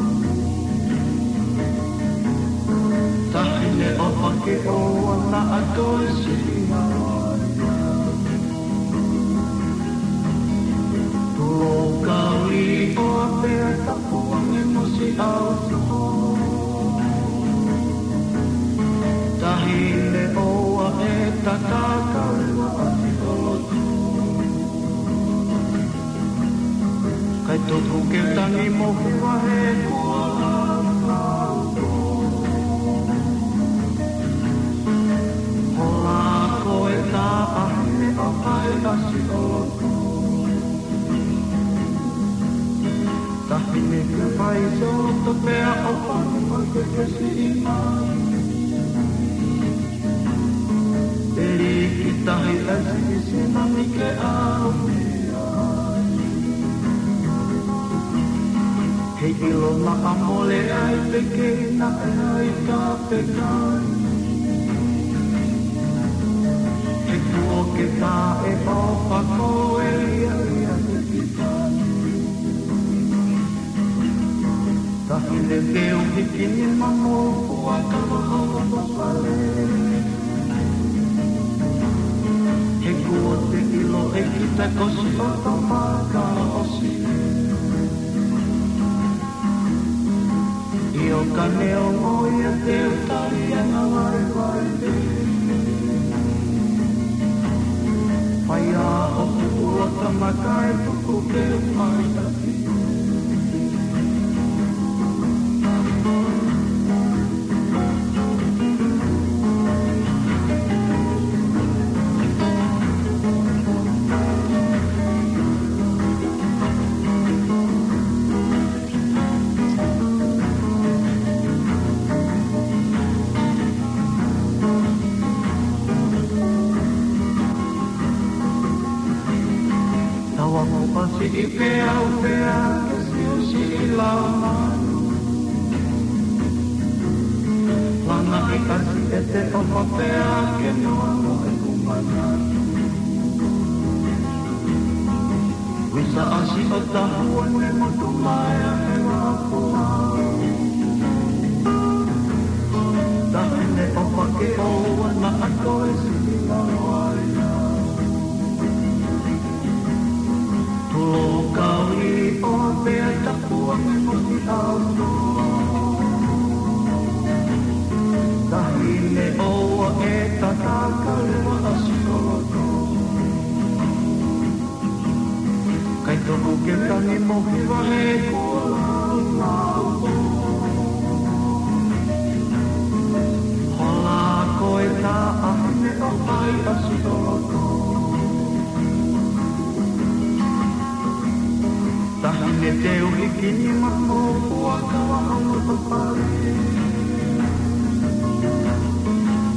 Tahi ne o pake o ana a toi si i hau. ʻOa pea tapu ange mo siʻi ʻautū. Taʻahine ʻoua ʻe tataka leva ʻa siʻi ʻolotu. Kae tuku ke u tangi mo hiva he kuo lava. Hola ko e taʻahine ʻoku ʻikai ʻasi ʻolotu. Taʻahine ke fai so to pea ʻo panu ʻa ke ke siʻi mai. Peli ki tahi ʻa siʻi sina mi ke au. He ʻilo naʻa mole ai pe ke naʻe ai ka pe kai. He kuo ke taʻe ʻofa ko e ia ia te ki tai. Taʻahine te u hiki nima mo fuakava ʻo loto fale. He kuo te ʻilo ʻe kita ko siʻoto fakaʻosi. ʻIo ka neongo ia te u tali ʻa e ngāue vaivai. Fai ā hoku ʻuluaki tama kae tuku ke u mai taki. Tau aku ʻasi ʻi peau pea ke siʻi siʻi lau manu. Langa ʻi ʻasi ʻe te ʻofa pea ke nono e kumana. Wisa ʻasi ʻo tahuʻa ne motu mai ʻa e wāpuna. Taʻahine ʻofa ke ʻoua naʻa toe siʻi lau ai. Tulo kau i o pea tapu ange mo siʻi ʻautū. Taʻahine ʻoua ʻe tataka leva ʻa siʻi ʻolotu. Kae tuku ke u tangi mo hiva he kuo lau. Hola ko e taʻahine ʻoku ʻikai ʻasi ʻolotu. Taʻahine te u hiki nima mo fuakava ʻo loto fale.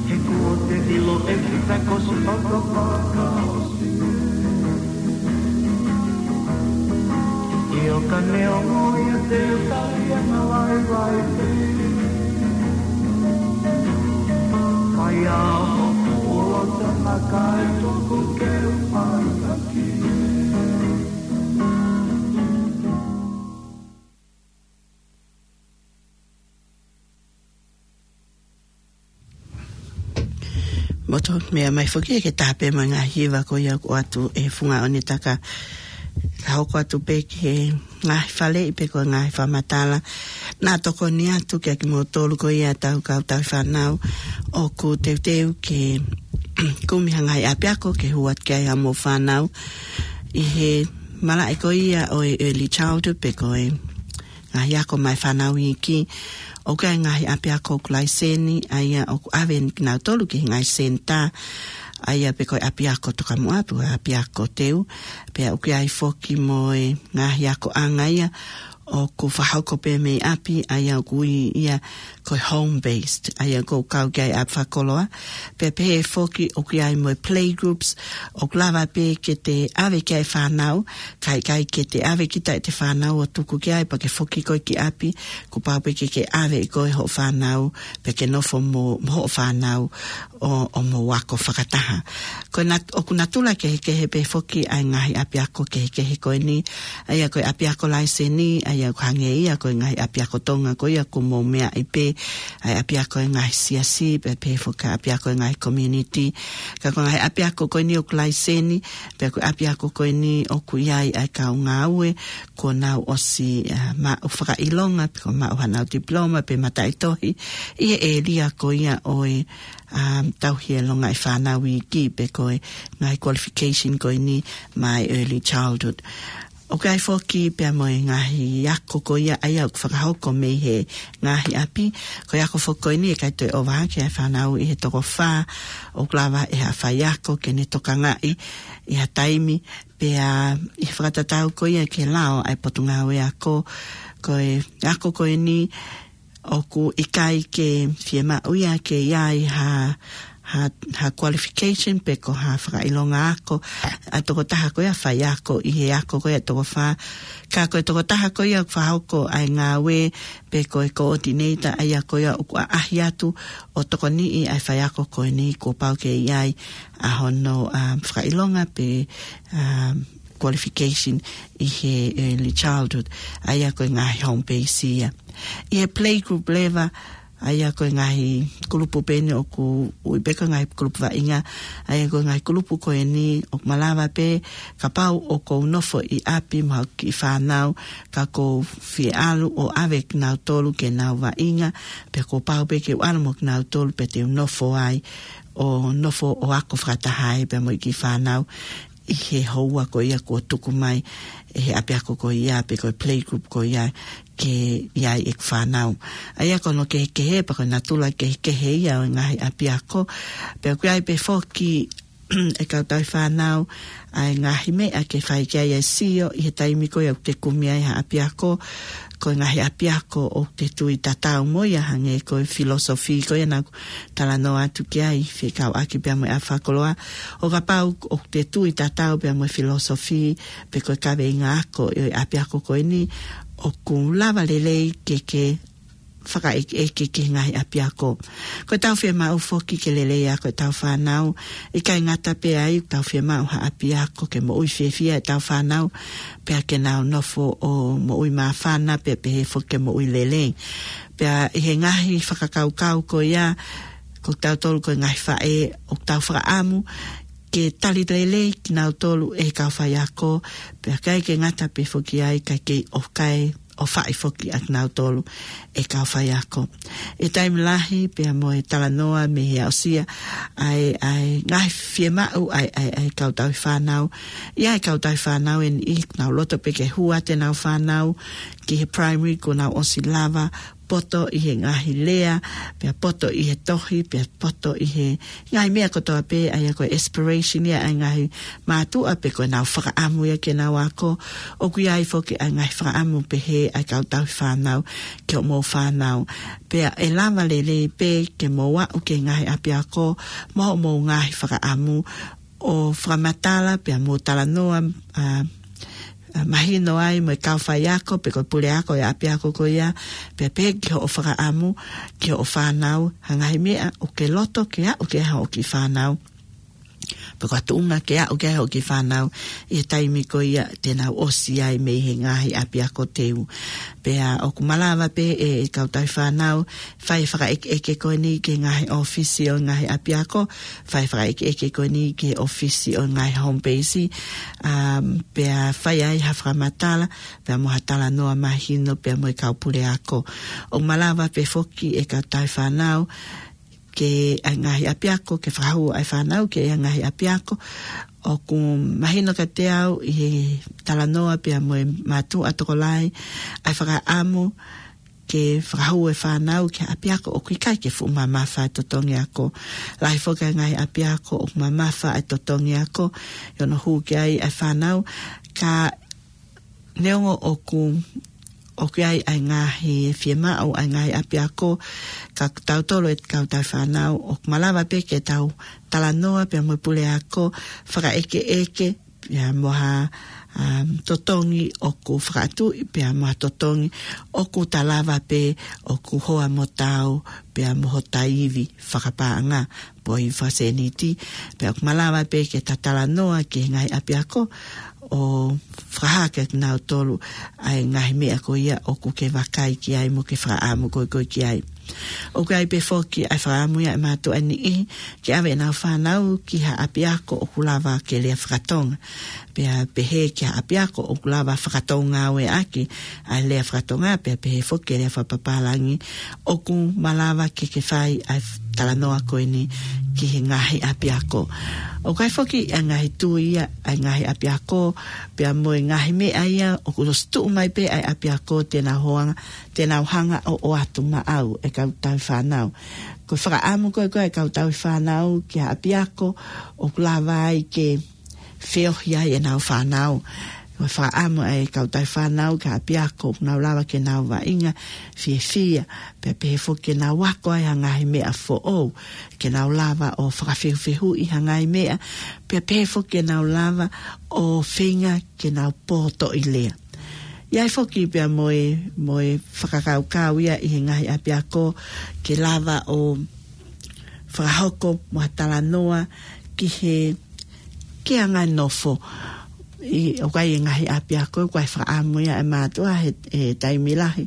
He kuo te ʻilo ʻe kita ko siʻoto fakaʻosi. ʻIo ka neongo ia te u tali ʻa e ngāue vaivai. Fai ā hoku ʻuluaki tama kae tuku ke u mai taki. Motu meʻa mai foki ke tāpē mo e ngaahi hiva ko ia ʻoku ʻoatu ʻe he funga ʻonetaka. Ka hoko atu pē ki he ngaahi faleʻi pe ko e ngaahi fakamatala. Naʻa tokoni atu kia kimoutolu ko ia ʻetau kau tauhi fānau ʻoku teuteu ke kumi ha ngaahi ʻapiako ke hū atu ki ai hamou fānau. ʻI he malaʻe ko ia ʻo e early childhood pe ko e ngaahi ako maʻa e fānau iiki, ʻoku ʻi ai e ngaahi ʻapiako ʻoku laiseni, ʻa ia ʻoku ʻave kinautolu ki he ngaahi senitā, ʻa ia pe ko e ʻapiako tokamuʻa, pe ko e ʻapiako teu, pea ʻoku ʻi ai foki mo e ngaahi akoʻanga ia ʻoku fakahoko pē mei ʻapi, ʻa ia ʻoku ui ia ko e home based, ʻa ia ʻoku kau ki ai ʻapi fakakoloa, pea pehē foki ʻoku ʻi ai mo e play groups, ʻoku lava pē ke te ʻave ki ai e fānau, kae ʻikai ke te ʻave kita ʻete fānau ʻo tuku ki ai pea ke foki koe ki ʻapi, kuo pau pē ke ke ʻave ʻe koe hoʻo fānau, pea ke nofo mo, mo hoʻo fānau ʻo, ʻo mou ako fakataha. Ko e nat-, ʻoku natula kehekehe pē foki ʻa e ngaahi ʻapiako kehekehe ko eni, ʻa ia ko e ʻapiako laiseni, ʻa ia ʻoku hangē ia ko e ngaahi ʻapiako Tonga ko ia ʻoku mou meaʻi pē, ʻa e ʻapiako ʻa e ngaahi siasi, pea pehē foki ki he ʻapiako ʻa e ngaahi community. Ka ko e ngaahi ʻapiako ko eni ʻoku laiseni, pea ko e ʻapiako ko eni ʻoku ʻi ai ʻa e kau ngāue, kuo nau ʻosi, ah, maʻu fakaʻilonga, pe kuo maʻu haʻanau diploma, pe mataʻitohi, ʻi he ʻēlia ko ia ʻo e, ah, tauhi e longaʻi fānau iiki, pe ko e ngaahi qualification ko eni maʻa e early childhood. ʻOku ʻi ai foki pea mo e ngaahi ako ko ia ʻa ia ʻoku fakahoko mei he ngaahi ʻapi. Ko e ako foki ko eni ʻe ʻikai toe ʻova hake ʻa e fānau ʻi he toko fā, ʻoku lava ʻe ha faiako ke ne tokangaʻi ʻi ha taimi, pea ʻi he fakatatau ko ia ki he lao ʻa e Potungāue Ako, ko e ako ko eni ʻoku ʻikai ke fiemaʻu ia ke ʻi ai ha, ha, ha qualification pe ko ha fakaʻilonga ako ʻa e tokotaha ko ia faiako ʻi he ako ko ia toko fā. Ka ko e tokotaha ko ia ʻoku fakahoko ʻa e ngāue pe ko e coordinator ʻa ia ko ia ʻoku ʻaʻahi atu ʻo tokoniʻi ʻa e faiako ko eni kuo pau ke ʻi ai ʻa hono, um, fakaʻilonga pe, um, qualification ʻi he early childhood, ʻa ia ko e ngaahi home base ia. ʻI he playgroup leva, ʻa ia ko e ngaahi kulupu pē eni ʻoku ui pē ko e ngaahi kulupu vaʻinga, ʻa ia ko e ngaahi kulupu ko eni ʻoku malava pē, kapau ʻoku ou nofo ʻi ʻapi mo hoku kiʻi fānau, ka ʻoku ou fie ʻalu ʻo ʻave kinautolu ke nau vaʻinga, pea kuo pau pē ke u ʻalu mo kinautolu pea te u nofo ai, ʻo nofo ʻo ako fakataha ai pea mo e kiʻi fānau ʻi he houa ko ia kuo tuku mai ʻe he ʻapiako ko ia pe ko e playgroup ko ia ke ʻi ai ʻeku fānau. ʻA ia ko hono kehekehe pea ko e natula kehekehe ia ʻo e ngaahi ʻapiako. Pea ʻoku ʻi ai pē foki ʻe he kau tauhi fānau ʻa e ngaahi meʻa ke fai ki ai ʻa e sio ʻi he taimi ko ia ʻoku te kumi ai ha ʻapiako. Ko e ngaahi ʻapiako ʻoku te tui tatau mo ia hangē ko e philosophy ko ia naʻa ku talanoa atu ki ai fekauʻaki pea mo e ʻaho fakakoloa. ʻO kapau ʻoku te tui tatau pea mo e philosophy pe ko e kaveinga ako ʻo e ʻapiako ko eni, ʻoku lava lelei ke ke fakaʻekeʻeke ki he ngaahi ʻapiako. Ko ʻetau fiemaʻu foki ke lelei ako ʻetau fānau, ʻikai ngata pē ai, ʻoku tau fiemaʻu ha ʻapiako ke moʻui fiefia ʻetau fānau, pea ke nau nofo ʻo moʻui māfana, pea pehē foki ke moʻui lelei. Pea ʻi he ngaahi fakakaukau ko ia, ko kitautolu ko e ngaahi faʻē, ʻoku tau fakaʻamu ke tali lelei kinautolu ʻe he kau faiako, pea ʻikai ke ngata pē foki ai, ʻikai ke ʻohake ʻo fai foki ʻa kinautolu ʻe he kau faiako. ʻI he taimi lahi pea mo e talanoa mei he aʻusia ʻa e, ʻa e ngaahi fiemaʻu ʻa e, ʻa e, ʻa e kau tauhi fānau. ʻI ai e kau tauhi fānau ʻe niʻihi ʻoku nau loto pē ke hū atu ʻenau fānau ki he primary kuo nau ʻosi lava poto ʻi he ngaahi lea, pea poto ʻi he tohi, pea poto ʻi he ngaahi meʻa kotoa pē, ʻa ia ko e aspiration ia ʻa e ngaahi mātuʻa pe ko ʻenau fakaʻamu ia ke nau ako. ʻOku ʻi ai foki ʻa e ngaahi fakaʻamu pehē ʻa e kau tauhi fānau ki hoʻomou fānau. Pea ʻe lava lelei pē ke mou aʻu ki he ngaahi ʻapiako mo hoʻomou ngaahi fakaʻamu ʻo fakamatala pea mo talanoa, ʻa, ʻa, mahino ai mo e kau faiako pe ko e puleako ʻo e ʻapiako ko ia, pea pehē ki hoʻo fakaʻamu ki hoʻo fānau, ha ngaahi meʻa ʻoku ke loto ke aʻu ki ai hoʻo kiʻi fānau, pe ko ha tuʻunga ke aʻu ki ai hoʻo kiʻi fānau ʻi he taimi ko ia te nau ʻosi ai mei he ngaahi ʻapiako teu. Pea ʻoku malava pē ʻe, ʻe he kau tauhi fānau, fai e fakaʻekeʻeke ko eni ki he ngaahi ʻōfisi ʻo e ngaahi ʻapiako, fai e fakaʻekeʻeke ko eni ki he ʻōfisi ʻo e ngaahi home base, um, pea fai ai ha fakamatala, pea mo ha talanoa mahino, pea mo e kau puleako. ʻOku malava pē foki ʻe he kau tauhi fānau, ki he ngaahi ʻapiako, ke fakahū ʻa e fānau ki he ngaahi ʻapiako. ʻOku mahino kiate au ʻi he talanoa pea mo e mātuʻa tokolahi, ʻa e fakaʻamu ke fakahū e fānau ki he ʻapiako ʻoku ʻikai ke fuʻu mamafa e totongi ako. Lahi foki ʻa e ngaahi ʻapiako ʻoku mamafa e totongi ako ʻi hono hū ki ai ʻa e fānau, ka neongo ʻoku, ʻoku ʻi ai ʻa e ngaahi fiemaʻu ʻa e ngaahi ʻapiako, ka kitautolu ʻa e kau tauhi fānau, ʻoku malava pē ke tau talanoa pea mo e puleako, fakaʻekeʻeke, pea mo ha, um, totongi ʻoku fakatuʻi, pea mo ha totongi ʻoku ta lava pē ʻoku hoa mo tau, pea mo hota ivi fakapaʻanga, pe ko e ivi fakasēniti, pea ʻoku malava pē ke ta talanoa ki he ngaahi ʻapiako, ʻo fakahā kiate kinautolu ʻa e ngaahi meʻa ko ia ʻoku ke vakai ki ai mo ke fakaʻamu ko ē ko ē ki ai. ʻOku ʻi ai pē foki ʻa e fakaʻamu ia ʻa e mātuʻa ʻe niʻihi ke ʻave ʻenau fānau ki ha ʻapiako ʻoku lava ke lea fakatonga. Pea pehē ki ha ʻapiako ʻoku lava fakatōngāueʻaki ʻa e lea fakatonga, pea pehē foki ki he lea fakapapālangi, ʻoku malava ke ke fai ʻa e talanoa ko eni ki he ngaahi ʻapiako. ʻOku ʻi ai foki ʻa e ngaahi tui ia ʻa e ngaahi ʻapiako, pea mo e ngaahi meʻa ia ʻoku ʻosi tuʻu mai pē ʻa e ʻapiako te nau hoanga, te nau hanga ʻo ʻoatu maʻau ʻe he kau tauhi fānau. Ko e fakaʻamu ko ē ko ē ʻa e kau tauhi fānau ki ha ʻapiako ʻoku lava ai ke feohi ai ʻenau fānau. Ko e fakaʻamu ʻa e kau tauhi fānau ki ha ʻapiako ʻoku nau lava ke nau vaʻinga fiefia, pea pehē foki ke nau ako ai ha ngaahi meʻa foʻou, ke nau lava ʻo fakafehufehuʻi ha ngaahi meʻa, pea pehē foki ke nau lava ʻo feinga ke nau pōtoʻi lea. ʻI ai foki pea mo e, mo e fakakaukau ia ʻi he ngaahi ʻapiako ke lava ʻo fakahoko mo ha talanoa ki he, ki he anga e nofo. ʻI, ʻoku ʻi ai e ngaahi ʻapiako, ʻoku ʻi ai e fakaʻamu ia ʻa e mātuʻa he, he taimi lahi,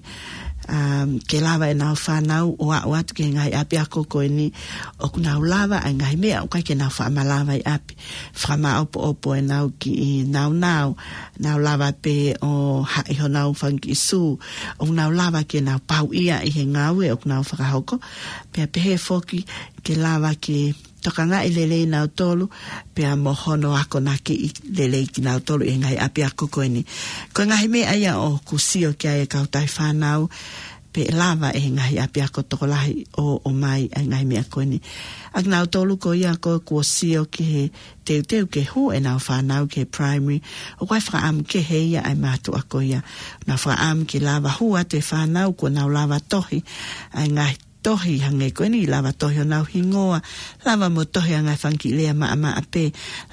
um, ke lava ʻenau fānau ʻo aʻu atu ki he ngaahi ʻapiako ko eni ʻoku nau lava ʻa e ngaahi meʻa ʻoku ʻikai ke nau faʻa malava ʻi ʻapi. Fakamāʻopoʻopo ʻenau kiʻi nāunau, nau lava pē ʻo haʻi honau fanga kiʻi sū, ʻoku nau lava ke nau pauʻia ʻi he ngāue ʻoku nau fakahoko, pea pehē foki ke lava ke tokangaʻi lelei nautolu, pea mo hono akonakiʻi lelei kinautolu ʻi he ngaahi ʻapiako ko eni. Ko e ngaahi meʻa ia ʻoku sio ki ai e kau tauhi fānau, pe ʻe lava ʻe he ngaahi ʻapiako tokolahi ʻo, ʻomai ʻa e ngaahi meʻa ko eni. ʻA kinautolu ko ia ko ē kuo sio ki he teuteu ke hū ʻenau fānau ki he primary, ʻoku ʻi ai e fakaʻamu kehe ia ʻa e mātuʻa ko ia. Nau fakaʻamu ke lava hū atu e fānau kuo nau lava tohi ʻa e ngaahi tohi hangē ko eni, lava tohi honau hingoa, lava mo tohi ʻa e ngaahi fanga kiʻi lea maʻamaʻa pē,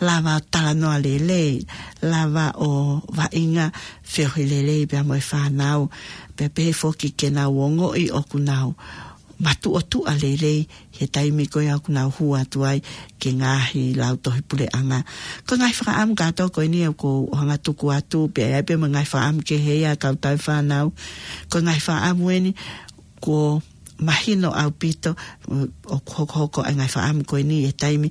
lava ʻo talanoa lelei, lava ʻo vaʻinga feohi lelei pea mo e fānau, pea pehē foki ke nau ongoʻi ʻoku nau matuʻotuʻa lelei he taimi ko ia ʻoku nau hū atu ai ki he ngaahi lautohi puleʻanga. Ko e ngaahi fakaʻamu kātoa ko eni ʻoku ou hanga tuku atu, pea ʻi ai pē mo e ngaahi fakaʻamu kehe ia ʻa e kau tauhi fānau. Ko e ngaahi fakaʻamu eni kuo mahino ʻaupito, ʻoku hokohoko ʻa e ngaahi fakaʻamu ko eni he taimi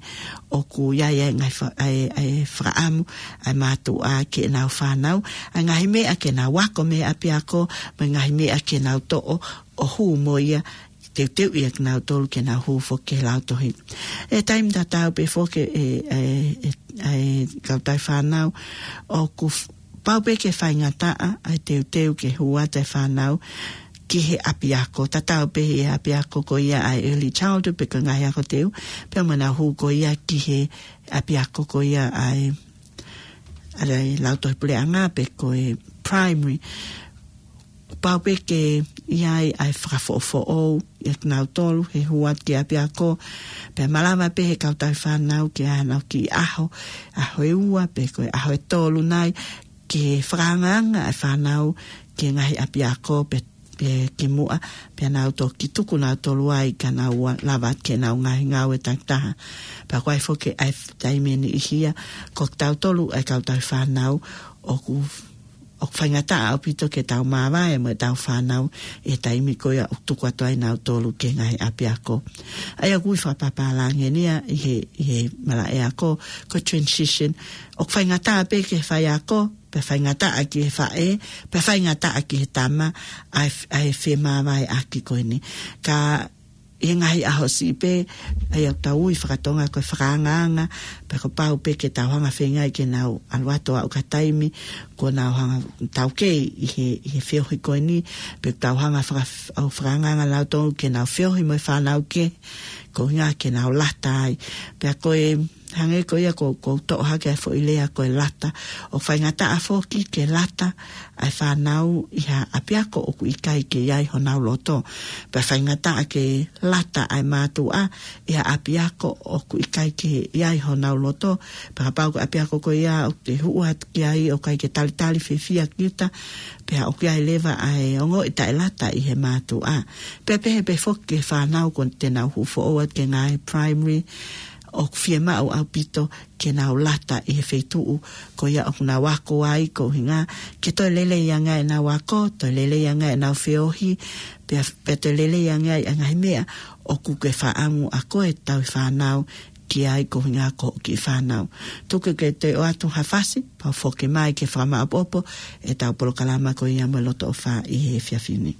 ʻoku ʻi ai ʻa e ngaahi fa-, ʻa e, ʻa e fakaʻamu ʻa e mātuʻa ki heʻenau fānau, ʻa e ngaahi meʻa ke nau ako mei he ʻapiako, mo e ngaahi meʻa ke nau toʻo ʻo hū mo ia, teuteuʻi ʻa kinautolu ke nau hū foki ki he lautohi. ʻI he taimi tatau pē foki ʻe, ʻe, ʻe, ʻa e kau tauhi fānau, ʻoku f-, pau pē ke faingataʻa ʻa e teuteu ke hū atu e fānau ki he ʻapiako. Tatau pē he ʻapiako ko ia ʻa e early childhood pe ko e ngaahi ako teu, pea mo ʻenau hū ko ia ki he ʻapiako ko ia ʻa e, ʻa e lautohi puleʻanga pe ko e primary. Pau pē ke ʻi ai ʻa e fakafoʻofoʻou ʻia kinautolu he hū atu ki he ʻapiako, pea malava pē he kau tauhi fānau ke ʻi ai hano kiʻi ʻaho, ʻaho ʻe ua pe ko e ʻaho ʻe tolu nai, ke fakaangaanga ʻa e fānau ki he ngaahi ʻapiako pe, pe ki muʻa, pea nau toki tuku nautolu ai ka nau ua-, lava ke nau ngaahi ngāue takitaha. Pea ʻoku ʻi ai foki ʻa e f-, taimi ʻe niʻihi ia, ko kitautolu ʻa e kau tauhi fānau ʻoku ʻoku faingataʻa ʻaupito ke tau māvae mo ʻetau fānau ʻi he taimi ko ia ʻoku tuku atu ai nautolu ki he ngaahi ʻapiako. ʻA ia ʻoku ui fakapapālangi eni ia ʻi he, ʻi he malaʻe ako, ko e transition. ʻOku faingataʻa pē ki he faiako, pea faingataʻa ki he faʻē, pea faingataʻa ki he tama, ʻa e f-, ʻa e femāvaeʻaki ko eni. Ka ʻi he ngaahi ʻaho siʻi pē, ʻa ia ʻoku tau ui fakatonga ko e fakaangaanga, pea kuo pau pē ke tau hanga feinga ai ke nau ʻalu atu ʻo aʻu ki ha taimi, kuo nau hanga taukei ʻi he, ʻi he feohi ko eni, pe tau hanga faka-, ʻo fakaangaanga nautolu ke nau feohi mo e fānau kehe, ko e ʻuhinga ke nau lata ai. Pea ko e hangē ko ia ko, ko u toʻo hake ʻa e foʻi lea ko e lata. ʻOku faingataʻa foki ke lata ʻa e fānau ʻi ha ʻapiako ʻoku ʻikai ke ʻi ai honau loto. Pea faingataʻa ke lata ʻa e mātuʻa ʻi ha ʻapiako ʻoku ʻikai ke ʻi ai honau loto. Pea kapau ko e ʻapiako ko ia ʻoku te hū atu ki ai ʻoku ʻikai ke talitali fiefia kita, pea ʻoku ʻi ai leva ʻa e ongoʻi taʻelata ʻi he mātuʻa. Pea pehē pē foki ki he fānau kuo te nau hū foʻou atu ki he ngaahi primary, ʻoku fiemaʻu ʻaupito ke nau lata ʻi he feituʻu ko ia ʻoku nau ako ai, ko e ʻuhinga ke toe lelei ange ʻenau ako, toe lelei ange ʻenau feohi, pea, pea toe lelei ange ai ʻa e ngaahi meʻa ʻoku ke fakaʻamu ʻa koe tauhi fānau ki ai, ko e ʻuhinga ko e kiʻi fānau. Tuku ke te u ʻoatu ha fasi, pea u foki mai ke fakamaʻopoʻopo ʻetau polokalama ko ia mo e loto ʻofa ʻi he efiafi ni.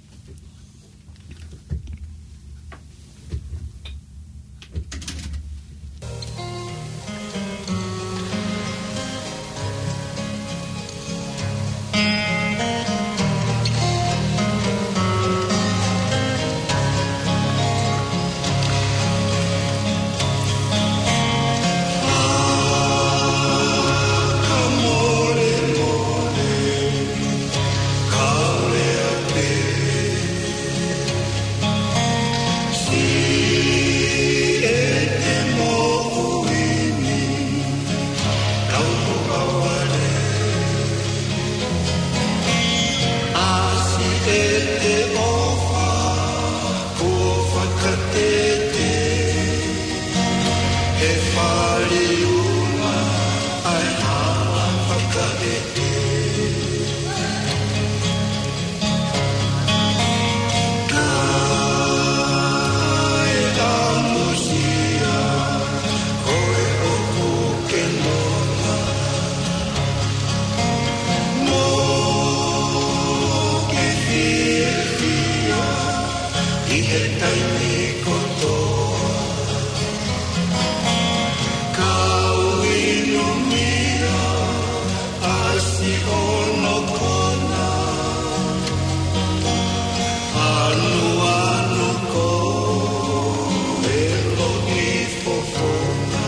ʻI he taimi kotoa, kau ʻi he mea ʻasi ʻo nokona, ʻanuʻanu ko e loʻi fofonga.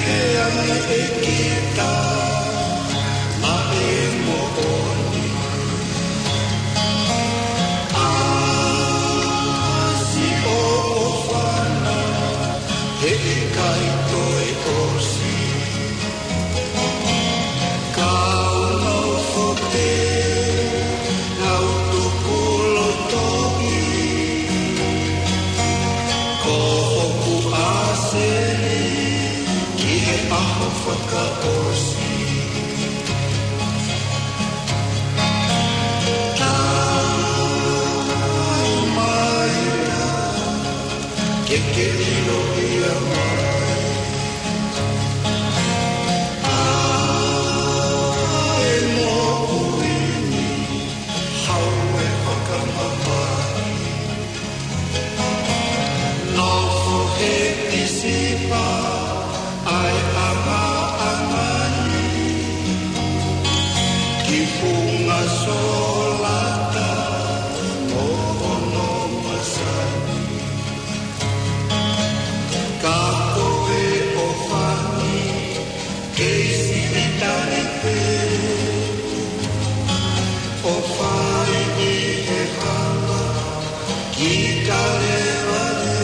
Pehē ange ʻe kita ʻa e moʻoni. ʻAsi ʻo ʻofana, heʻikai toe ʻosi. Kau nofo pē, lau tuku lotoʻi. Ko hoku ʻāseni ki he ʻaho fakaʻosi. Tau mai na, ke ke ʻilo ia mai. ʻA e moʻui ni, haʻu e fakamamahi. Nofo he tisipa ʻa e ʻangaʻanga ni, ki funga solata ʻo hono masani. Ka ko e ʻofa ni, kei siʻi tali pē, ʻofa ʻi he hala ki Kalevale.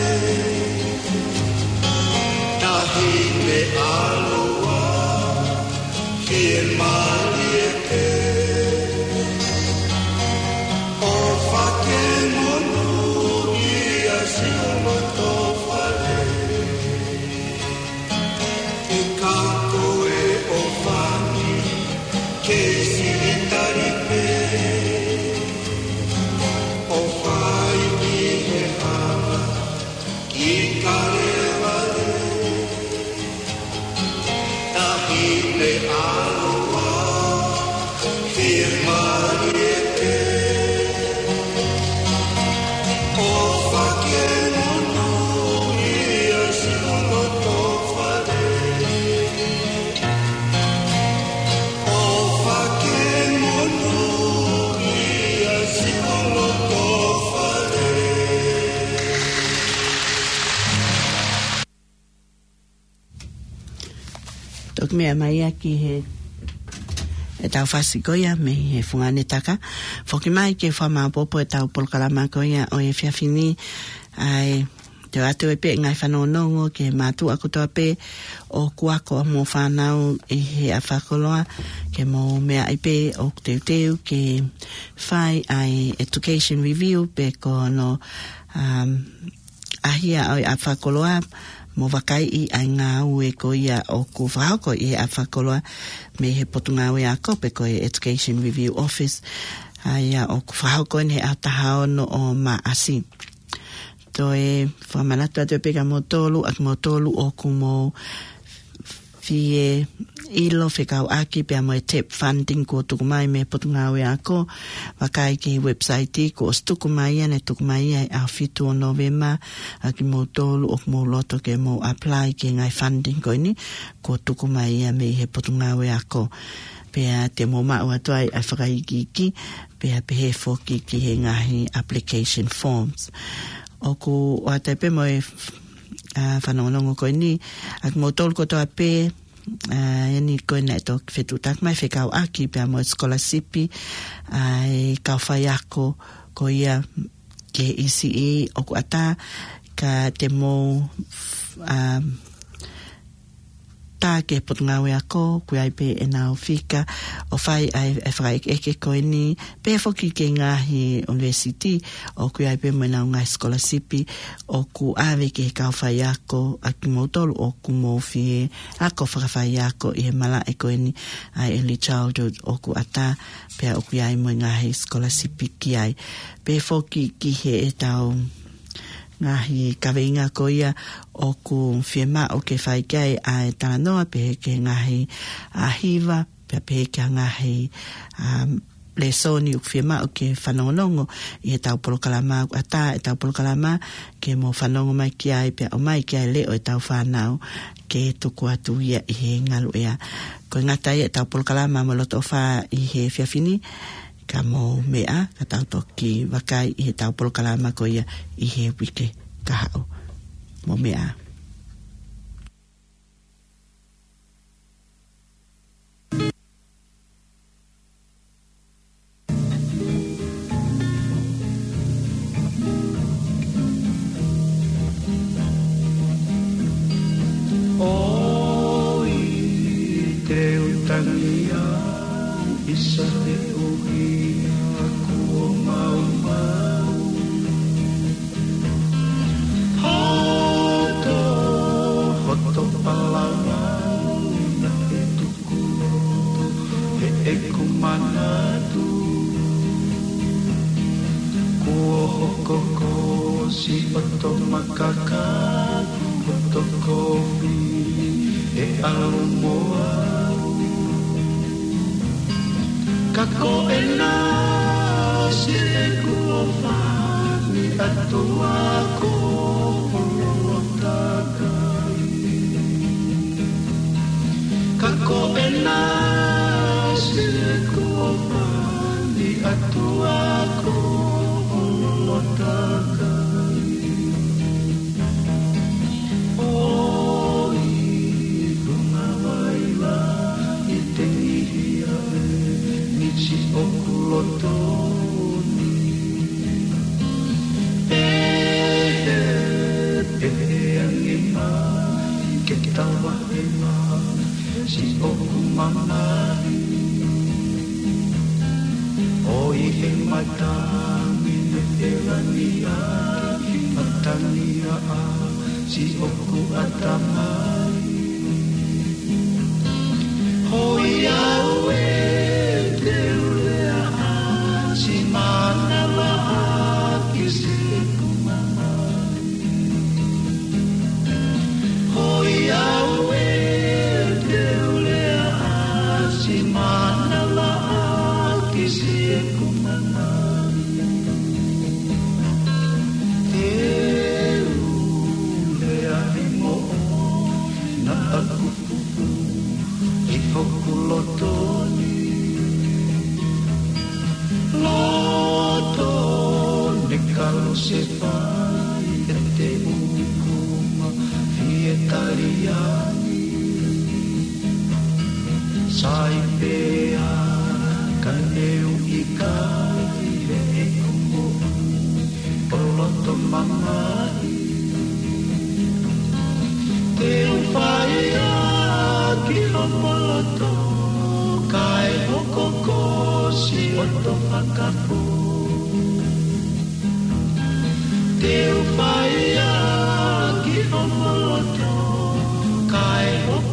Taʻahine ʻaloʻofa, fiemālie pē. ʻOfa ke monūʻia siʻo loto fale. Ka ko e ʻofa ni, kei siʻi tali pē. ʻOfa ʻi he hala ki Kalevale. Taʻahine ʻaloʻofa, fiemālie pē. ʻOfa ke monūʻia siʻo loto fale. ʻOfa ke monūʻia siʻo loto fale. Toki meʻa mai ia ki he, ʻetau fasi ko ia mei he fungani taka. Foki mai ke fakamaʻopoʻopo ʻetau polokalama ko ia ʻo e efiafi ni, ʻa e Te u ʻoatu pē ngaahi fanongonongo ki he mātuʻa kotoa pē ʻoku ako ʻa hoʻomou fānau ʻi he ʻaho fakakoloa, ke mou meaʻi pē ʻoku teuteu ke fai ʻa e education review pe ko hono, um, ʻahia ʻo e ʻaho fakakoloa, mo vakaiʻi ʻa e ngāue ko ia ʻoku fakahoko ʻi he ʻaho fakakoloa mei he Potungāue Ako pe ko e Education Review Office, ʻa ia ʻoku fakahoko eni he ʻaho taha ono ʻo Maʻasi. Toe fakamanatu atu pē kia moutolu, ʻa kimoutolu ʻoku mou fie ʻilo fekauʻaki pea mo e TEP funding kuo tuku mai mei he Potungāue Ako, vakai ki he website kuo ʻosi tuku mai ia, naʻe tuku mai ia he ʻaho fitu ʻo Novema, ʻa kimoutolu ʻoku mou loto ke mou apply ki he ngaahi funding ko eni, kuo tuku mai ia mei he Potungāue Ako. Pea te mou maʻu atu ai ʻa e fakaikiiki, pea pehē foki ki he ngaahi application forms. ʻOku ʻoatu pē mo e, ʻa, fanongonongo ko eni, ʻa kimoutolu kotoa pē, ʻa, eni ko ena ʻe toki fetuʻutaki mai fekauʻaki pea mo e scholarship, ʻa, e kau faiako ko ia ki he E C E ʻoku ʻatā, ka te mou, ʻa, tā ki he Potungāue Ako, ʻoku ʻi ai pē ʻenau fika ʻo fai ʻa e, ʻa e fakaʻekeʻeke ko eni, pehē foki ki he ngaahi university, ʻoku ʻi ai pē mo ʻenau ngaahi scholarship, ʻoku ʻave ki he kau faiako, ʻa kimoutolu ʻoku mou fie ako fakafaiako ʻi he malaʻe ko eni ʻa e early childhood ʻoku ʻatā, pea ʻoku ʻi ai mo e ngaahi scholarship ki ai. Pehē foki ki heʻetau ngaahi kaveinga ko ia ʻoku fiemaʻu ke fai ki ai ʻa e talanoa, pehē ki he ngaahi, ʻa, hiva, pea pehē ki he ngaahi, um, lēsoni ʻoku fiemaʻu ke fanongonongo ʻi heʻetau polokalama ʻoku ʻatā, ʻetau polokalama ke mou fanongo mai ki ai, pea ʻomai ki ai e leʻo ʻetau fānau ke tuku atu ia ʻi he ngaluʻea. Ko e ngata ia ʻetau polokalama mo e loto ʻofa ʻi he efiafi ni, ka mou meʻa, ka tau toki vakai ʻi heʻetau polokalama ko ia ʻi he uike kahaʻu. Mou meʻa. ʻOi, te u tangi au, ʻisa te u hia kuo maumau. Hoto, hoto palavau, naʻe tuku loto heʻeku manatu. Kuo hoko ko siʻoto makaka, hoto kovi ʻe ʻalu mo au. Ka ko ena siʻeku ʻofa ni ʻAtua ko hono takai. Ka ko ena siʻeku ʻofa ni ʻAtua ko hono takai. ʻOi, ʻoku ngāue ʻi te nihi aʻe ni siʻoku loto ni. Pehē, pehē ange mai ke tava ʻe mai siʻoku mamahi. ʻOi, he matangi ne ʻelani ai, matangi ʻa siʻoku ʻatamai. Hoi au ē, te u lea ʻa si manava ʻa ki siʻeku mamahi. Hoi au ē, te u lea ʻa si manava ʻa ki siʻeku mamahi. Te u lea ʻi moʻoni, naʻa ku pupu ʻi hoku loto ni. Loto ne kalo se fai ʻe te ukuma fie taliani. Sai pea ka ne u ʻikai he ʻeku moʻui ʻo loto mamahi. hoʻomo loto, kae hoko ko siʻoto fakapō. Te u fai ā ki hoʻomo loto, kae hoko